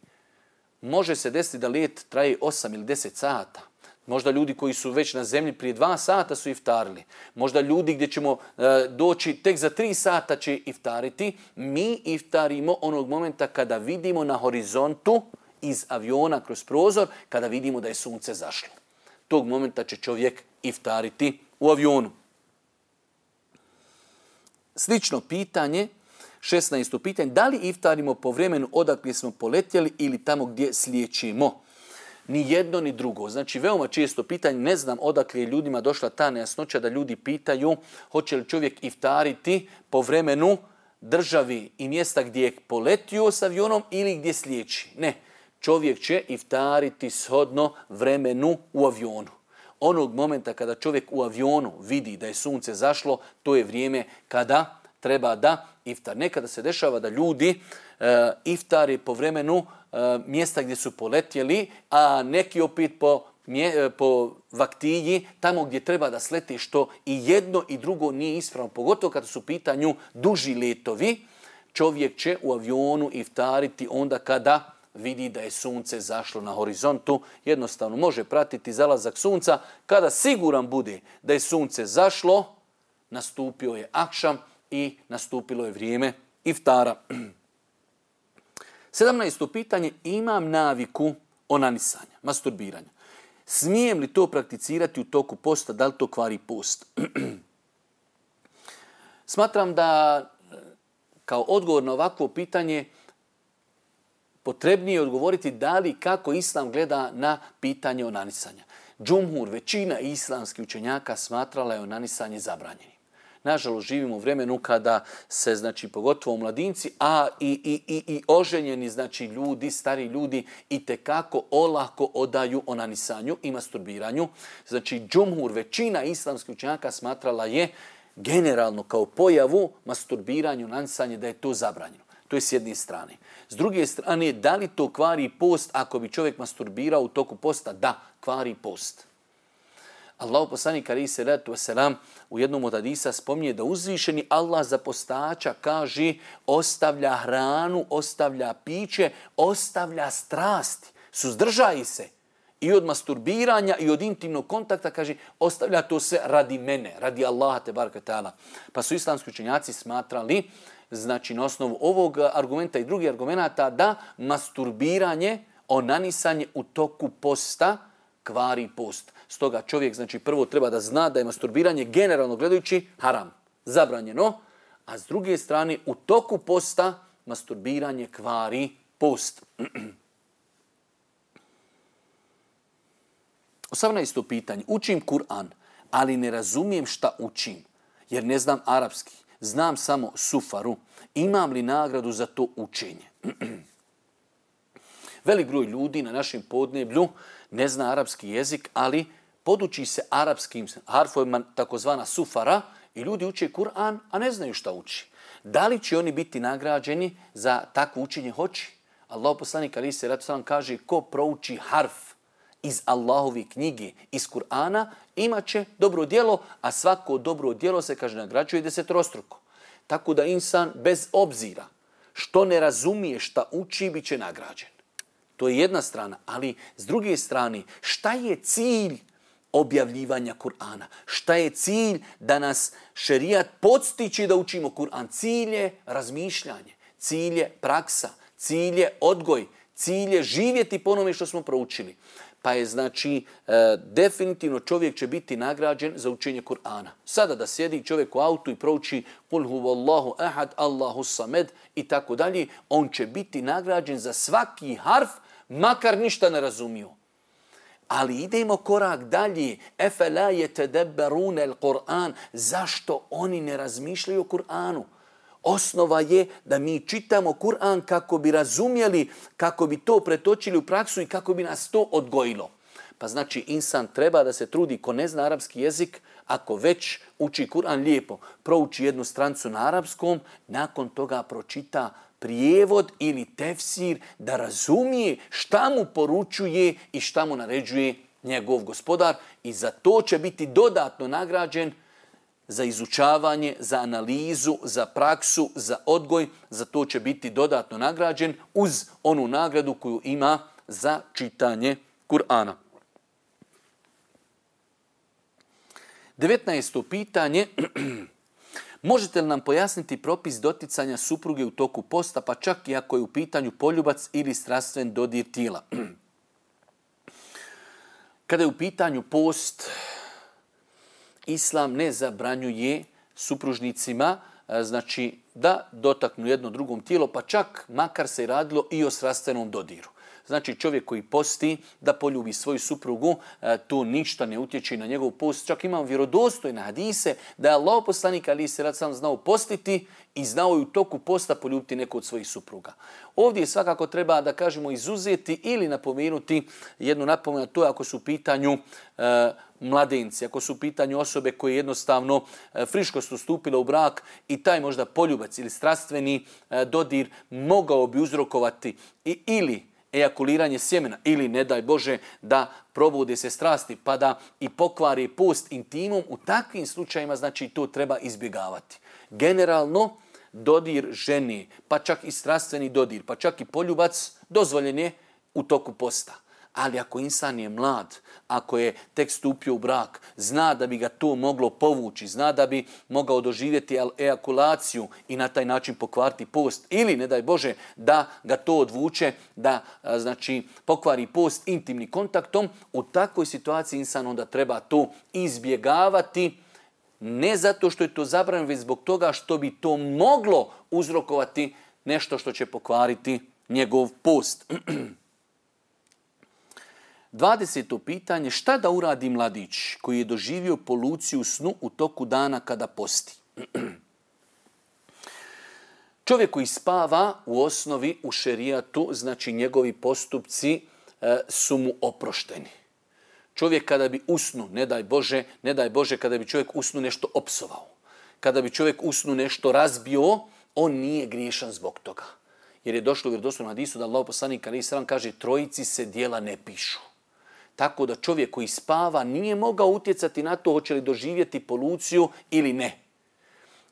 Može se desiti da let traje osam ili deset sata. Možda ljudi koji su već na zemlji prije dva sata su iftarili. Možda ljudi gdje ćemo e, doći tek za tri sata će iftariti. Mi iftarimo onog momenta kada vidimo na horizontu iz aviona kroz prozor, kada vidimo da je sunce zašlo. Tog momenta će čovjek iftariti u avionu. Slično pitanje, šesnaesto pitanje, da li iftarimo po vremenu odakle smo poletjeli ili tamo gdje slijećemo? Ni jedno ni drugo. Znači, veoma često pitanje, ne znam odakle je ljudima došla ta nejasnoća da ljudi pitaju hoće li čovjek iftariti po vremenu državi i mjesta gdje je poletio s avionom ili gdje slijeći. Ne, čovjek će iftariti shodno vremenu u avionu. Onog momenta kada čovjek u avionu vidi da je sunce zašlo, to je vrijeme kada treba da iftar. Nekada se dešava da ljudi e, iftari po vremenu e, mjesta gdje su poletjeli, a neki opet po, mje, po vaktiji, tamo gdje treba da sleti, što i jedno i drugo nije ispravno. Pogotovo kada su u pitanju duži letovi, čovjek će u avionu iftariti onda kada vidi da je sunce zašlo na horizontu. Jednostavno može pratiti zalazak sunca. Kada siguran bude da je sunce zašlo, nastupio je akšam i nastupilo je vrijeme iftara. sedamnaesto pitanje, imam naviku onanisanja, masturbiranja. Smijem li to prakticirati u toku posta, da li to kvari post? Smatram da kao odgovor na ovakvo pitanje potrebnije je odgovoriti da li kako Islam gleda na pitanje onanisanja. Džumhur, većina islamskih učenjaka smatrala je onanisanje zabranjenim. Nažalost, živimo u vremenu kada se, znači, pogotovo mladinci, a i, i, i, i oženjeni, znači, ljudi, stari ljudi, itekako olako odaju onanisanju i masturbiranju. Znači, džumhur, većina islamskih učenjaka smatrala je generalno kao pojavu masturbiranju, onanisanje, da je to zabranjeno. To je s jedne strane. S druge strane, da li to kvari post ako bi čovjek masturbirao u toku posta? Da, kvari post. Allahu poslanik alejhi selatu vesselam u jednom od hadisa spominje da uzvišeni Allah za postača kaže ostavlja hranu, ostavlja piće, ostavlja strasti, suzdržaji se i od masturbiranja i od intimnog kontakta, kaže ostavlja to sve radi mene, radi Allaha te bareke taala. Pa su islamski učenjaci smatrali, znači na osnovu ovog argumenta i drugih argumenata, da masturbiranje, onanisanje u toku posta kvari post. Stoga čovjek, znači, prvo treba da zna da je masturbiranje generalno gledajući haram, zabranjeno, a s druge strane u toku posta masturbiranje kvari post. osamnaesto pitanje. Učim Kur'an, ali ne razumijem šta učim, jer ne znam arapski. znam samo sufaru. Imam li nagradu za to učenje? Velik broj ljudi na našem podneblju ne zna arapski jezik, ali poduči se arapskim harfovima, takozvana sufara, i ljudi uče Kur'an, a ne znaju šta uči. Da li će oni biti nagrađeni za takvo učenje? Hoće. Allah poslanik alejhi selatu selam kaže ko prouči harf iz Allahove knjige, iz Kur'ana, imat će dobro djelo, a svako dobro djelo se, kaže, nagrađuje desetrostruko. Tako da insan bez obzira što ne razumije šta uči, bit će nagrađen. To je jedna strana, ali s druge strane, šta je cilj objavljivanja Kur'ana? Šta je cilj da nas šerijat podstiče da učimo Kur'an? Cilj je razmišljanje, cilj je praksa, cilj je odgoj, cilj je živjeti po onome što smo proučili. Pa je znači e, definitivno čovjek će biti nagrađen za učenje Kur'ana. Sada da sjedi čovjek u autu i prouči Kul huvallahu ahad, Allahu samed i tako dalje, on će biti nagrađen za svaki harf, makar ništa ne razumio. Ali idemo korak dalje. Efela yetedabbarun al-Qur'an. Zašto oni ne razmišljaju o Kur'anu? Osnova je da mi čitamo Kur'an kako bi razumjeli, kako bi to pretočili u praksu i kako bi nas to odgojilo. Pa znači insan treba da se trudi, ko ne zna arapski jezik, ako već uči Kur'an lijepo, prouči jednu strancu na arapskom, nakon toga pročita prijevod ili tefsir da razumije šta mu poručuje i šta mu naređuje njegov gospodar, i za to će biti dodatno nagrađen, za izučavanje, za analizu, za praksu, za odgoj, za to će biti dodatno nagrađen uz onu nagradu koju ima za čitanje Kur'ana. devetnaesto pitanje. Možete li nam pojasniti propis doticanja supruge u toku posta, pa čak i ako je u pitanju poljubac ili strastven dodir tijela? Kada je u pitanju post, Islam ne zabranjuje supružnicima, znači, da dotaknu jedno drugom tijelo, pa čak makar se radilo i o strastvenom dodiru. Znači čovjek koji posti da poljubi svoju suprugu, to ništa ne utječe na njegov post. Čak imam vjerodostojne hadise da je Allah poslanik alejhi selatu selam znao postiti i znao i u toku posta poljubiti neko od svojih supruga. Ovdje svakako treba da kažemo izuzeti ili napomenuti jednu napomenu, to je ako su u pitanju e, mladenci, ako su u pitanju osobe koje jednostavno e, friško su stupile u brak i taj možda poljubac ili strastveni e, dodir mogao bi uzrokovati i, ili ejakuliranje sjemena ili, ne daj Bože, da probude se strasti pa da i pokvari post intimom, u takvim slučajima znači to treba izbjegavati. Generalno, dodir žene, pa čak i strastveni dodir, pa čak i poljubac, dozvoljen je u toku posta. Ali ako insan je mlad, ako je tek stupio u brak, zna da bi ga to moglo povući, zna da bi mogao doživjeti ejakulaciju i na taj način pokvariti post, ili, ne daj Bože, da ga to odvuče, da znači pokvari post intimnim kontaktom, u takvoj situaciji insan onda treba to izbjegavati, ne zato što je to zabranjeno, već zbog toga što bi to moglo uzrokovati nešto što će pokvariti njegov post. dvadeseto pitanje. Šta da uradi mladić koji je doživio poluciju u snu u toku dana kada posti? Čovjek koji spava u osnovi u šerijatu, znači njegovi postupci e, su mu oprošteni. Čovjek kada bi usnu, ne daj Bože, ne daj Bože kada bi čovjek usnu nešto opsovao, kada bi čovjek usnu nešto razbio, on nije griješan zbog toga. Jer je došlo u vjerodostojnom hadisu da Allah poslanik alejhi selam kaže trojici se djela ne pišu. Tako da čovjek koji spava nije mogao utjecati na to hoće li doživjeti poluciju ili ne.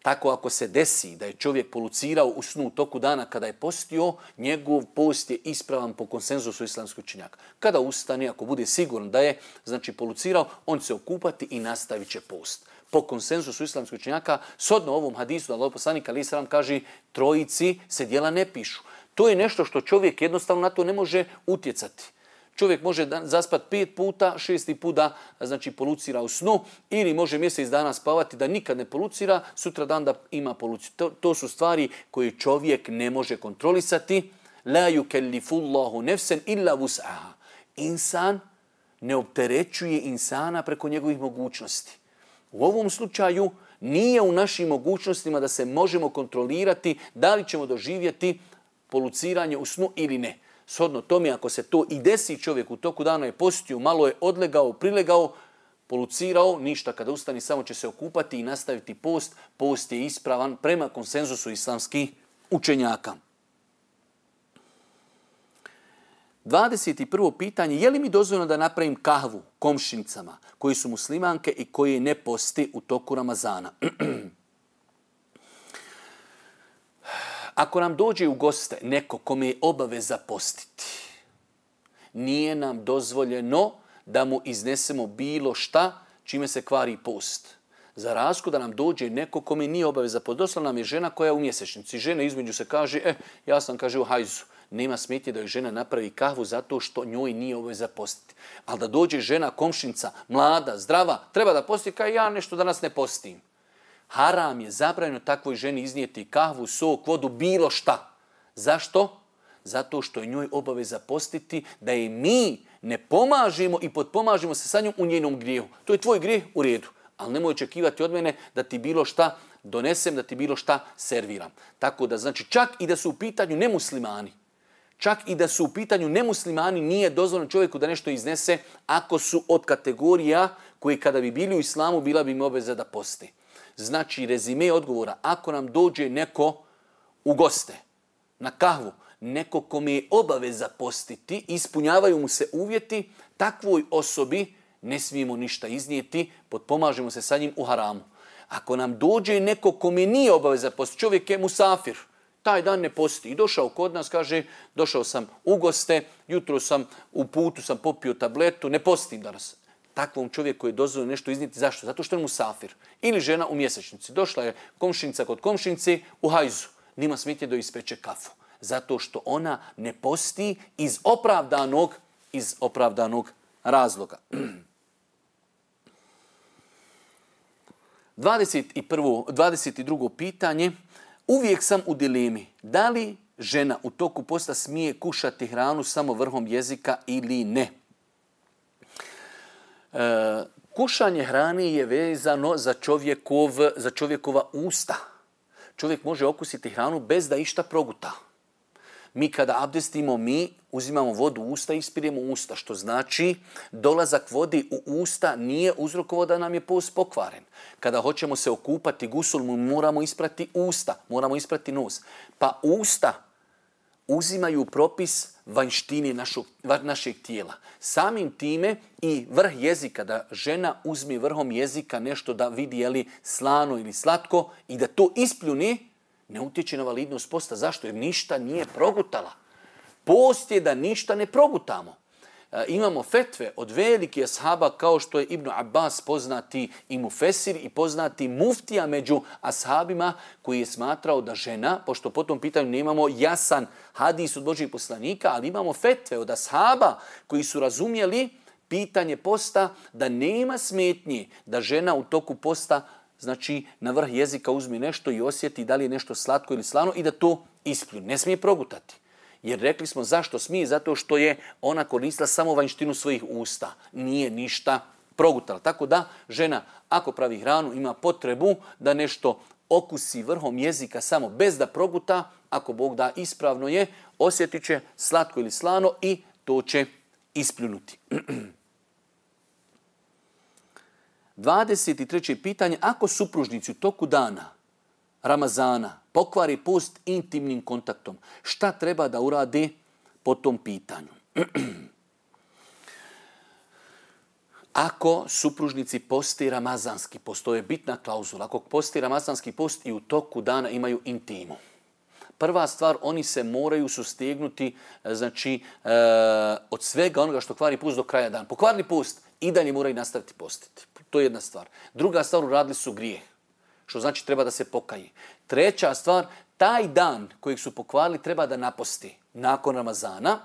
Tako ako se desi da je čovjek polucirao u snu u toku dana kada je postio, njegov post je ispravan po konsenzusu islamskih učenjaka. Kada ustane, ako bude siguran da je znači polucirao, on će se okupati i nastavit će post. Po konsenzusu islamskih učenjaka, shodno ovom hadisu da Allah poslanik alejhi selam kaže trojici se djela ne pišu. To je nešto što čovjek jednostavno na to ne može utjecati. Čovjek može zaspati pet puta, šesti put da znači polucira u snu, ili može mjesec dana spavati da nikad ne polucira, sutra dan da ima poluciju. To, to su stvari koje čovjek ne može kontrolisati. La yukellifullahu nefsen illa vus'aha. Insan ne opterećuje insana preko njegovih mogućnosti. U ovom slučaju Nije u našim mogućnostima da se možemo kontrolirati da li ćemo doživjeti poluciranje u snu ili ne. Shodno tome, ako se to i desi čovjek u toku dana je postio, malo je odlegao, prilegao, polucirao, ništa, kada ustani samo će se okupati i nastaviti post. Post je ispravan prema konsenzusu islamskih učenjaka. dvadeset prvo pitanje, je li mi dozvoljeno da napravim kahvu komšinicama koji su muslimanke i koji ne posti u toku Ramazana? Ako nam dođe u goste neko kome je obaveza postiti, nije nam dozvoljeno da mu iznesemo bilo šta čime se kvari post. Za razliku da nam dođe neko kome nije obaveza postiti. Došla nam je žena koja je u mjesečnici. Žena između se kaže, e, ja sam kaže u hajzu. Nema smetnje da joj žena napravi kahvu zato što njoj nije obaveza postiti. Ali da dođe žena, komšinica, mlada, zdrava, treba da posti, kao ja nešto danas ne postim. Haram je zabranjeno takvoj ženi iznijeti kahvu, sok, vodu, bilo šta. Zašto? Zato što je njoj obaveza postiti, da je mi ne pomažemo i potpomažemo se sa njom u njenom grijehu. To je tvoj grijeh, u redu. Ali nemoj očekivati od mene da ti bilo šta donesem, da ti bilo šta serviram. Tako da, znači, čak i da su u pitanju nemuslimani, čak i da su u pitanju nemuslimani, nije dozvoljeno čovjeku da nešto iznese ako su od kategorija koji kada bi bili u islamu bila bi im obaveza da posti. Znači, rezime odgovora, ako nam dođe neko u goste, na kahvu, neko kome je obaveza postiti, ispunjavaju mu se uvjeti, takvoj osobi ne smijemo ništa iznijeti, potpomažemo se sa njim u haramu. Ako nam dođe neko kome nije obaveza postiti, čovjek je musafir, taj dan ne posti i došao kod nas, kaže, došao sam u goste, jutro sam u putu, sam popio tabletu, ne postim danas. Takvom čovjeku je dozvoljeno nešto iznijeti. Zašto? Zato što je musafir. Ili žena u mjesečnici. Došla je komšinica kod komšinici u hajzu. Nima smetnje da ispeče kafu. Zato što ona ne posti iz opravdanog, iz opravdanog razloga. dvadeset drugo pitanje. Uvijek sam u dilemi. Da li žena u toku posta smije kušati hranu samo vrhom jezika ili ne? E, kušanje hrane je vezano za, čovjekov, za čovjekova usta. Čovjek može okusiti hranu bez da išta proguta. Mi kada abdestimo, mi uzimamo vodu u usta i ispiremo usta, što znači dolazak vodi u usta nije uzrokovao da nam je post pokvaren. Kada hoćemo se okupati gusul, moramo isprati usta, moramo isprati nos. Pa usta uzimaju propis vanjštine našog, našeg tijela. Samim time i vrh jezika, da žena uzme vrhom jezika nešto da vidi je li slano ili slatko i da to ispljuni, ne utječe na validnost posta. Zašto? Jer ništa nije progutala. Post je da ništa ne progutamo. E, imamo fetve od velikih ashaba kao što je Ibn Abbas, poznati i mufesir i poznati muftija među ashabima, koji je smatrao da žena, pošto po tom pitanju nemamo jasan hadis od Božjih poslanika, ali imamo fetve od ashaba koji su razumjeli pitanje posta, da nema smetnje da žena u toku posta, znači, na vrh jezika uzme nešto i osjeti da li je nešto slatko ili slano i da to ispljuni. Ne smije progutati. Jer rekli smo zašto smije, zato što je ona koristila samo vanjštinu svojih usta. Nije ništa progutala. Tako da žena, ako pravi hranu, ima potrebu da nešto okusi vrhom jezika samo bez da proguta, ako Bog da, ispravno je, osjetit će slatko ili slano i to će ispljunuti. dvadeset treće pitanje. Ako supružnici u toku dana Ramazana pokvari post intimnim kontaktom, šta treba da urade po tom pitanju? Ako supružnici posti ramazanski post, to je bitna klauzula, ako posti ramazanski post i u toku dana imaju intimu, prva stvar, oni se moraju sustegnuti, znači, e, od svega onoga što kvari post do kraja dana. Pokvarili post i dalje moraju nastaviti postiti. To je jedna stvar. Druga stvar, uradili su grijeh, što znači treba da se pokaje. Treća stvar, taj dan kojeg su pokvarili treba da naposti nakon Ramazana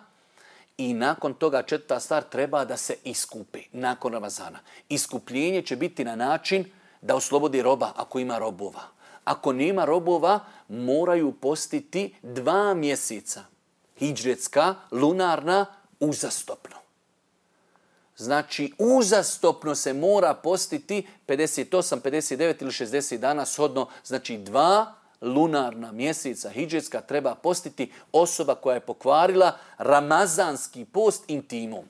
i nakon toga četvrta stvar, treba da se iskupi nakon Ramazana. Iskupljenje će biti na način da oslobodi roba ako ima robova. Ako nema robova, moraju postiti dva mjeseca. Hidžretska, lunarna, uzastopno. Znači, uzastopno se mora postiti pedeset osam, pedeset devet ili šezdeset dana shodno. Znači, dva lunarna mjeseca hidžetska treba postiti osoba koja je pokvarila ramazanski post intimom.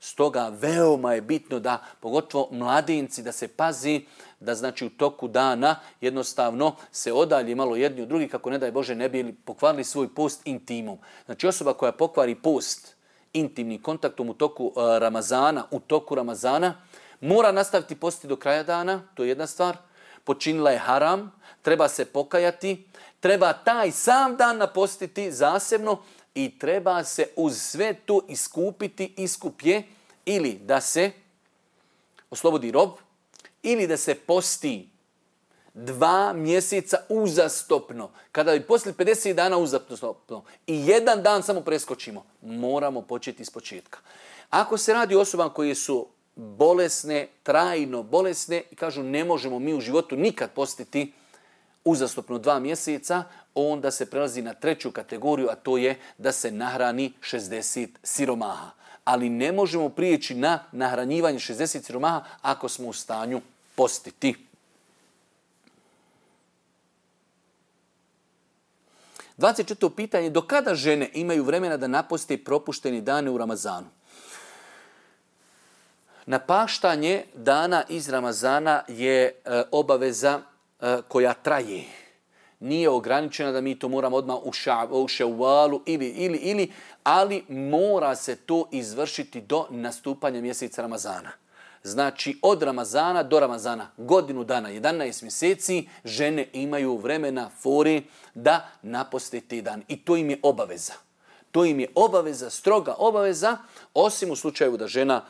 Stoga veoma je bitno da, pogotovo mladenci, da se pazi da znači u toku dana jednostavno se odalje malo jedni od drugih, kako ne daj Bože ne bi pokvarili svoj post intimom. Znači osoba koja pokvari post intimnim kontaktom u toku uh, Ramazana, u toku Ramazana, mora nastaviti postiti do kraja dana, to je jedna stvar. Počinila je haram, treba se pokajati, treba taj sam dan napostiti zasebno i treba se uz sve to iskupiti, iskup je ili da se oslobodi rob, ili da se posti dva mjeseca uzastopno. Kada bi postili pedeset dana uzastopno i jedan dan samo preskočimo, moramo početi iz početka. Ako se radi o osobama koje su bolesne, trajno bolesne i kažu ne možemo mi u životu nikad postiti uzastopno dva mjeseca, onda se prelazi na treću kategoriju, a to je da se nahrani šezdeset siromaha. Ali ne možemo prijeći na nahranjivanje šezdeset siromaha ako smo u stanju postiti. dvadeset četvrto pitanje. Do kada žene imaju vremena da naposte propušteni dane u Ramazanu? Napaštanje dana iz Ramazana je e, obaveza e, koja traje. Nije ograničena da mi to moramo odmah u, ša, u ševalu ili, ili, ili, ali mora se to izvršiti do nastupanja mjeseca Ramazana. Znači od Ramazana do Ramazana, godinu dana, jedanaest mjeseci, žene imaju vremena, fori da naposte te dan. I to im je obaveza. To im je obaveza, stroga obaveza, osim u slučaju da žena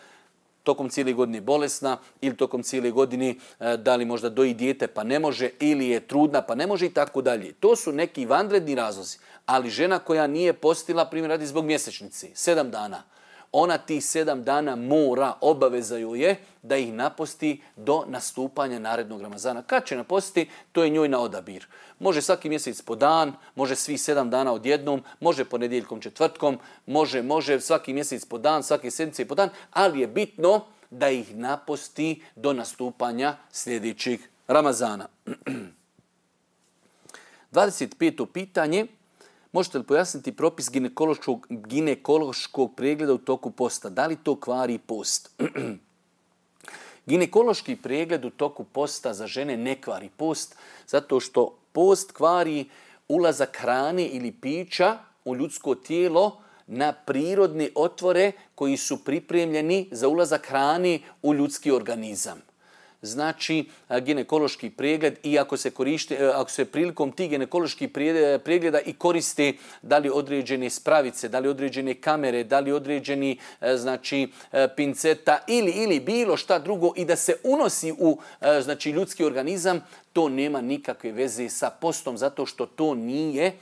tokom cijele godine bolesna ili tokom cijele godine da li možda doji dijete pa ne može ili je trudna pa ne može i tako dalje. To su neki vanredni razlozi. Ali žena koja nije postila, primjer radi zbog mjesečnice, sedam dana, ona tih sedam dana mora, obaveza joj je da ih naposti do nastupanja narednog Ramazana. Kad će napostiti, to je njoj na odabir. Može svaki mjesec po dan, može svi sedam dana odjednom, može ponedjeljkom, četvrtkom, može, može svaki mjesec po dan, svake sedmice po dan, ali je bitno da ih naposti do nastupanja sljedećeg Ramazana. dvadeset peto pitanje. Možete li pojasniti propis ginekološkog, ginekološkog pregleda u toku posta? Da li to kvari post? Ginekološki pregled u toku posta za žene ne kvari post, zato što post kvari ulazak hrane ili pića u ljudsko tijelo na prirodne otvore koji su pripremljeni za ulazak hrane u ljudski organizam. Znači, ginekološki pregled i ako se koriste, ako se prilikom tih ginekoloških pregleda i koriste da li određene spravice, da li određene kamere, da li određeni znači pinceta ili ili bilo šta drugo i da se unosi u znači ljudski organizam, to nema nikakve veze sa postom zato što to nije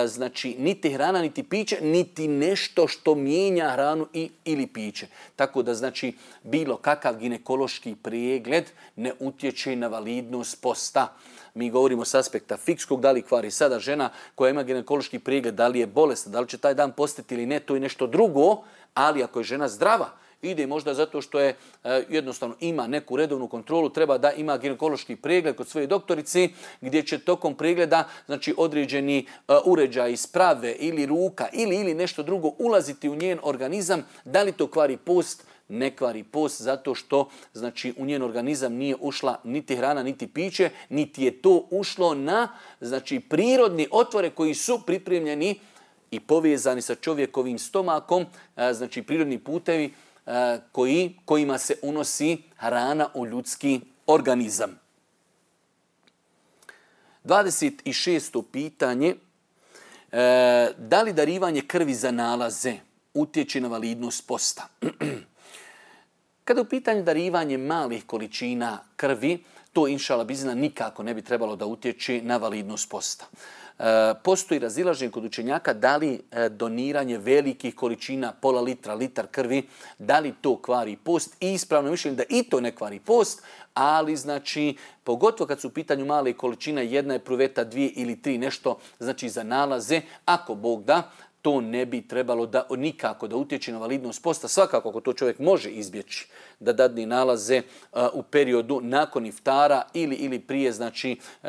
znači niti hrana, niti piće, niti nešto što mijenja hranu i, ili piće. Tako da znači bilo kakav ginekološki pregled ne utječe na validnost posta. Mi govorimo s aspekta fikskog, da li kvari sada žena koja ima ginekološki pregled, da li je bolesna, da li će taj dan postiti ili ne, to je nešto drugo, ali ako je žena zdrava, ide možda zato što je e, jednostavno ima neku redovnu kontrolu, treba da ima ginekološki pregled kod svoje doktorice gdje će tokom pregleda znači određeni e, uređaj sprave ili ruka ili ili nešto drugo ulaziti u njen organizam. Da li to kvari post? Ne kvari post zato što znači u njen organizam nije ušla niti hrana, niti piće, niti je to ušlo na znači prirodni otvore koji su pripremljeni i povezani sa čovjekovim stomakom, e, znači prirodni putevi Koji, kojima se unosi hrana u ljudski organizam. dvadeset šesto pitanje. E, da li darivanje krvi za nalaze utječe na validnost posta? Kada je u pitanju darivanje malih količina krvi, to inšala bizna nikako ne bi trebalo da utječe na validnost posta. E, postoji razilaženje kod učenjaka da li e, doniranje velikih količina, pola litra, litar krvi, da li to kvari post. I ispravno mišljenje da i to ne kvari post, ali znači pogotovo kad su u pitanju male količine, jedna je pruveta, dvije ili tri nešto, znači za nalaze, ako Bog da, to ne bi trebalo da nikako da utječe na validnost posta. Svakako ako to čovjek može izbjeći, da dadne nalaze uh, u periodu nakon iftara ili ili prije, znači uh,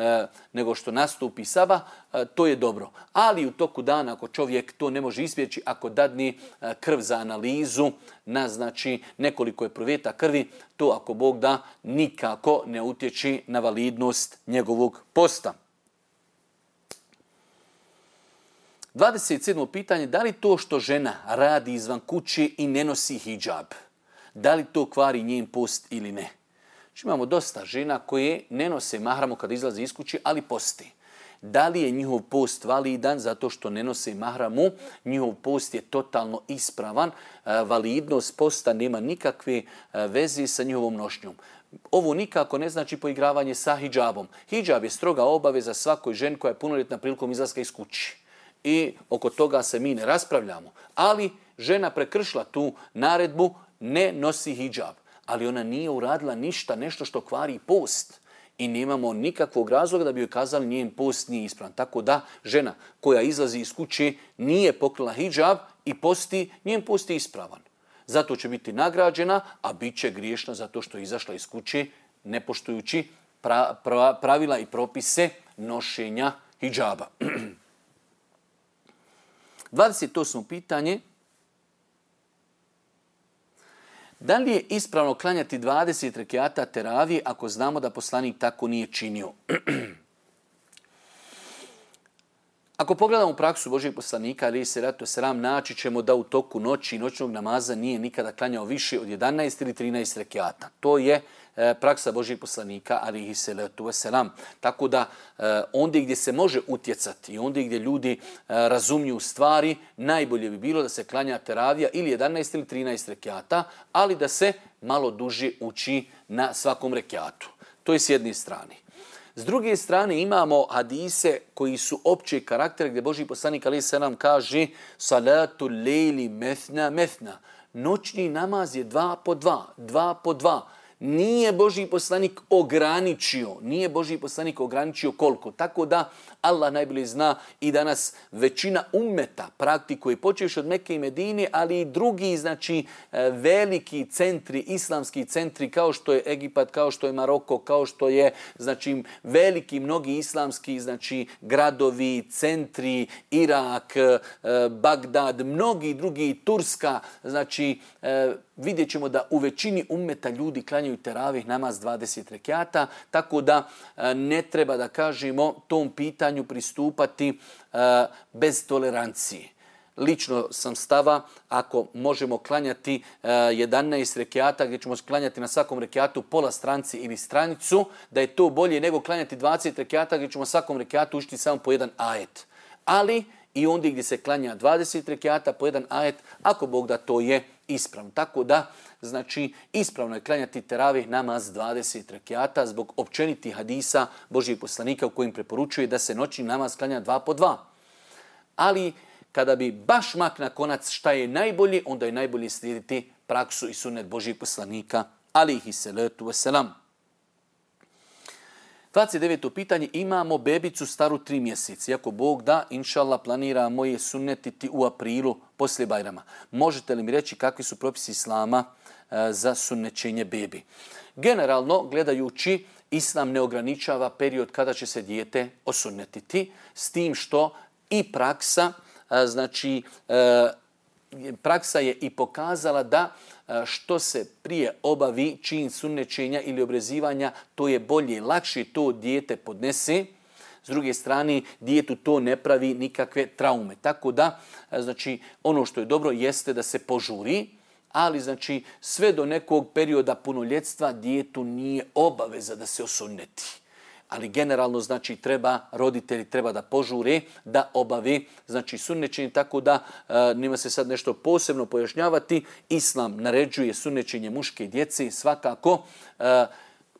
nego što nastupi sabah, uh, to je dobro. Ali u toku dana ako čovjek to ne može izbjeći, ako dadne uh, krv za analizu na znači nekoliko epruveta krvi, to ako Bog da nikako ne utječe na validnost njegovog posta. dvadeset sedmo pitanje, da li to što žena radi izvan kuće i ne nosi hidžab, da li to kvari njen post ili ne? Znači, imamo dosta žena koje ne nose mahramu kada izlaze iz kuće, ali posti. Da li je njihov post validan zato što ne nose mahramu? Njihov post je totalno ispravan. Validnost posta nema nikakve veze sa njihovom nošnjom. Ovo nikako ne znači poigravanje sa hidžabom. Hidžab je stroga obaveza svakoj ženi koja je punoljetna prilikom izlaska iz kuće. I oko toga se mi ne raspravljamo. Ali žena prekršila tu naredbu, ne nosi hidžab. Ali ona nije uradila ništa, nešto što kvari post. I nemamo nikakvog razloga da bi joj kazali njen post nije ispravan. Tako da žena koja izlazi iz kuće nije pokrila hidžab i posti, njen post je ispravan. Zato će biti nagrađena, a bit će griješna zato što je izašla iz kuće ne poštujući pra, pra, pravila i propise nošenja hidžaba. dvadeset osmo pitanje. Da li je ispravno klanjati dvadeset rekiata teravije ako znamo da poslanik tako nije činio? Ako pogledamo praksu Božijeg poslanika, alejhi selatu selam, naći ćemo da u toku noći i noćnog namaza nije nikada klanjao više od jedanaest ili trinaest rekiata. To je e, praksa Božijeg poslanika, alejhi selatu selam. Tako da e, ondje gdje se može utjecati i ondje gdje ljudi e, razumiju stvari, najbolje bi bilo da se klanja teravija ili jedanaest ili trinaest rekiata, ali da se malo duže uči na svakom rekiatu. To je s jedne strane. S druge strane imamo hadise koji su opće karaktera gdje Božji poslanik alejhi selam kaže salatu lejli methna methna. Noćni namaz je dva po dva, dva po dva. Nije Božji poslanik ograničio, nije Božji poslanik ograničio koliko. Tako da Allah najbolje zna i danas većina ummeta praktikuje, počevši od Mekke i Medine, ali i drugi, znači veliki centri, islamski centri kao što je Egipat, kao što je Maroko, kao što je znači veliki mnogi islamski znači gradovi, centri, Irak, Bagdad, mnogi drugi, Turska, znači vidjet ćemo da u većini ummeta ljudi klanjaju teravih namaz dvadeset rekiata, tako da ne treba da kažemo tom pitanju pristupati bez tolerancije. Lično sam stava, ako možemo klanjati jedanaest rekiata, gdje ćemo klanjati na svakom rekiatu pola stranci ili stranicu, da je to bolje nego klanjati dvadeset rekiata, gdje ćemo na svakom rekiatu učiti samo po jedan ajet. Ali i ondje gdje se klanja dvadeset rekiata po jedan ajet, ako Bog da, to je ispravno. Tako da, znači, ispravno je klanjati teravih namaz dvadeset rekiata zbog općenitih hadisa Božijeg poslanika u kojim preporučuje da se noćni namaz klanja dva po dva. Ali kada bi baš mak na konac šta je najbolje, onda je najbolje slijediti praksu i sunnet Božijeg poslanika alejhi selatu vesselam. dvadeset deveto pitanje, imamo bebicu staru tri mjeseca. Iako Bog da, inšallah, planiramo je sunnetiti u aprilu poslije Bajrama. Možete li mi reći kakvi su propisi islama e, za sunnećenje bebi? Generalno, gledajući, islam ne ograničava period kada će se dijete osunnetiti, s tim što i praksa, e, znači, e, praksa je i pokazala da što se prije obavi čin sunnećenja ili obrezivanja, to je bolje, lakše to dijete podnese. S druge strane, dijetu to ne pravi nikakve traume. Tako da, znači, ono što je dobro jeste da se požuri, ali znači sve do nekog perioda punoljetstva dijetu nije obaveza da se osunneti. Ali generalno, znači, treba, roditelji treba da požure, da obave, znači, sunnećenje, tako da e, nima se sad nešto posebno pojašnjavati. Islam naređuje sunnećenje muške djece, svakako. E,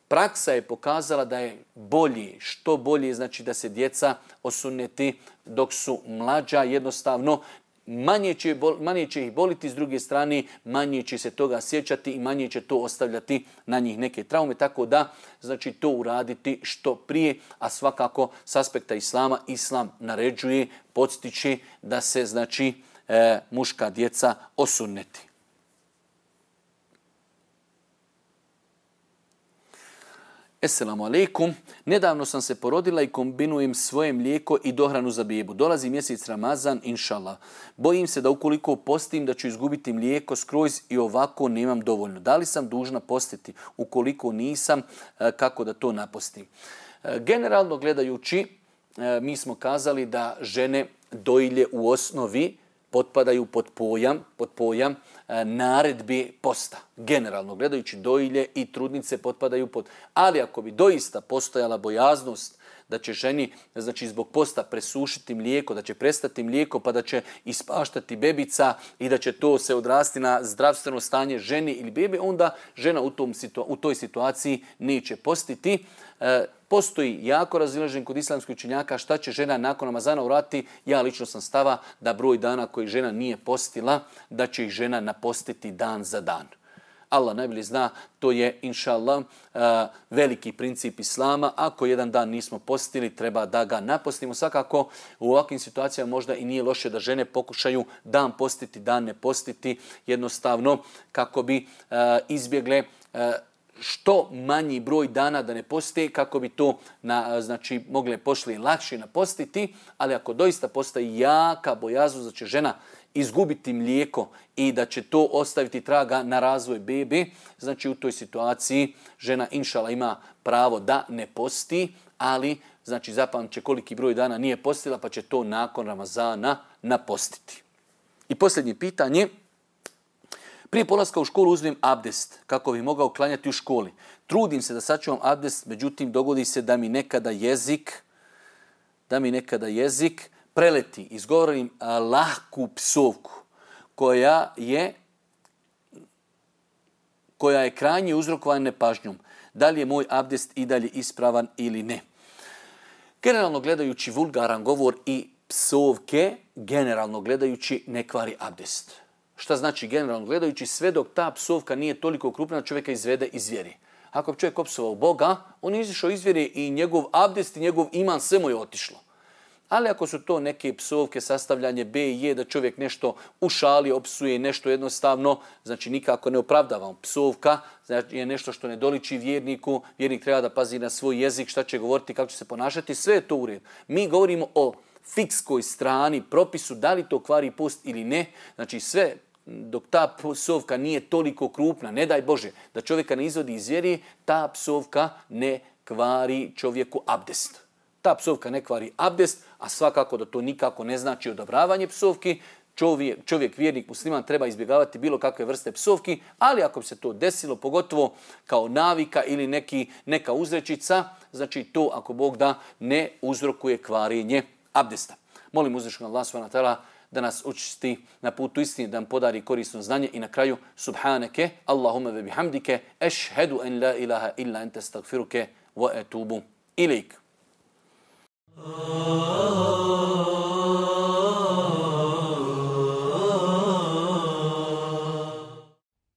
praksa je pokazala da je bolje, što bolje, znači, da se djeca osunneti dok su mlađa, jednostavno, manje će, manje će ih boliti, s druge strane manje će se toga sjećati i manje će to ostavljati na njih neke traume, tako da znači to uraditi što prije, a svakako s aspekta islama, islam naređuje, podstiče da se znači e, muška djeca osunneti. Esselamu alaikum. Nedavno sam se porodila i kombinujem svoje mlijeko i dohranu za bebu. Dolazi mjesec Ramazan, inšallah. Bojim se da ukoliko postim da ću izgubiti mlijeko skroz i ovako nemam dovoljno. Da li sam dužna postiti? Ukoliko nisam, kako da to napostim? Generalno gledajući, mi smo kazali da žene dojilje u osnovi potpadaju pod pojam, pod pojam naredbi posta. Generalno gledajući dojilje i trudnice potpadaju pod... Ali ako bi doista postojala bojaznost da će ženi, znači zbog posta presušiti mlijeko, da će prestati mlijeko pa da će ispaštati bebica i da će to se odrasti na zdravstveno stanje ženi ili bebe, onda žena u, tom situa- u toj situaciji neće postiti. E, postoji jako razilažen kod islamskih učenjaka šta će žena nakon Ramazana uraditi. Ja lično sam stava da broj dana koji žena nije postila, da će ih žena napostiti dan za dan. Allah najbolje zna, to je, inša Allah, veliki princip islama. Ako jedan dan nismo postili, treba da ga napostimo. Svakako, u ovakvim situacijama možda i nije loše da žene pokušaju dan postiti, dan ne postiti, jednostavno kako bi izbjegle što manji broj dana da ne poste, kako bi to na, znači, mogle pošli lakše napostiti, ali ako doista postoji jaka bojaznost da će žena izgubiti mlijeko i da će to ostaviti traga na razvoj bebe, znači u toj situaciji žena inšala ima pravo da ne posti, ali znači zapamće koliki broj dana nije postila pa će to nakon Ramazana napostiti. I posljednje pitanje. Prije polaska u školu uzmem abdest kako bi mogao klanjati u školi. Trudim se da sačuvam abdest, međutim dogodi se da mi nekada jezik, da mi nekada jezik preleti, izgovorim lahku psovku koja je koja je krajnje uzrokovana nepažnjom. Da li je moj abdest i dalje ispravan ili ne? Generalno gledajući vulgaran govor i psovke, generalno gledajući ne kvari abdest. Šta znači generalno gledajući? Sve dok ta psovka nije toliko krupna da čovjeka izvede iz vjeri. Ako bi čovjek opsovao Boga, on je izišao iz vjeri i njegov abdest i njegov iman sve mu je otišlo. Ali ako su to neke psovke, sastavljanje B i J, da čovjek nešto u šali opsuje, nešto jednostavno, znači nikako ne opravdavamo. Psovka znači je nešto što ne doliči vjerniku, vjernik treba da pazi na svoj jezik, šta će govoriti, kako će se ponašati, sve je to u redu. Mi govorimo o fikskoj strani, propisu, da li to kvari post ili ne, znači sve dok ta psovka nije toliko krupna, ne daj Bože, da čovjeka ne izvodi iz vjeri, ta psovka ne kvari čovjeku abdest. Ta psovka ne kvari abdest, a svakako da to nikako ne znači odobravanje psovki. Čovjek, čovjek vjernik musliman treba izbjegavati bilo kakve vrste psovki, ali ako bi se to desilo, pogotovo kao navika ili neki, neka uzrečica, znači to ako Bog da ne uzrokuje kvarenje abdesta. Molim uzvišenog Allaha subhanahu wa ta'ala da nas učisti na putu istine, da nam podari korisno znanje i na kraju subhaneke, Allahumma ve bihamdike, ešhedu en la ilaha illa ente stagfiruke wa etubu ilik. Oh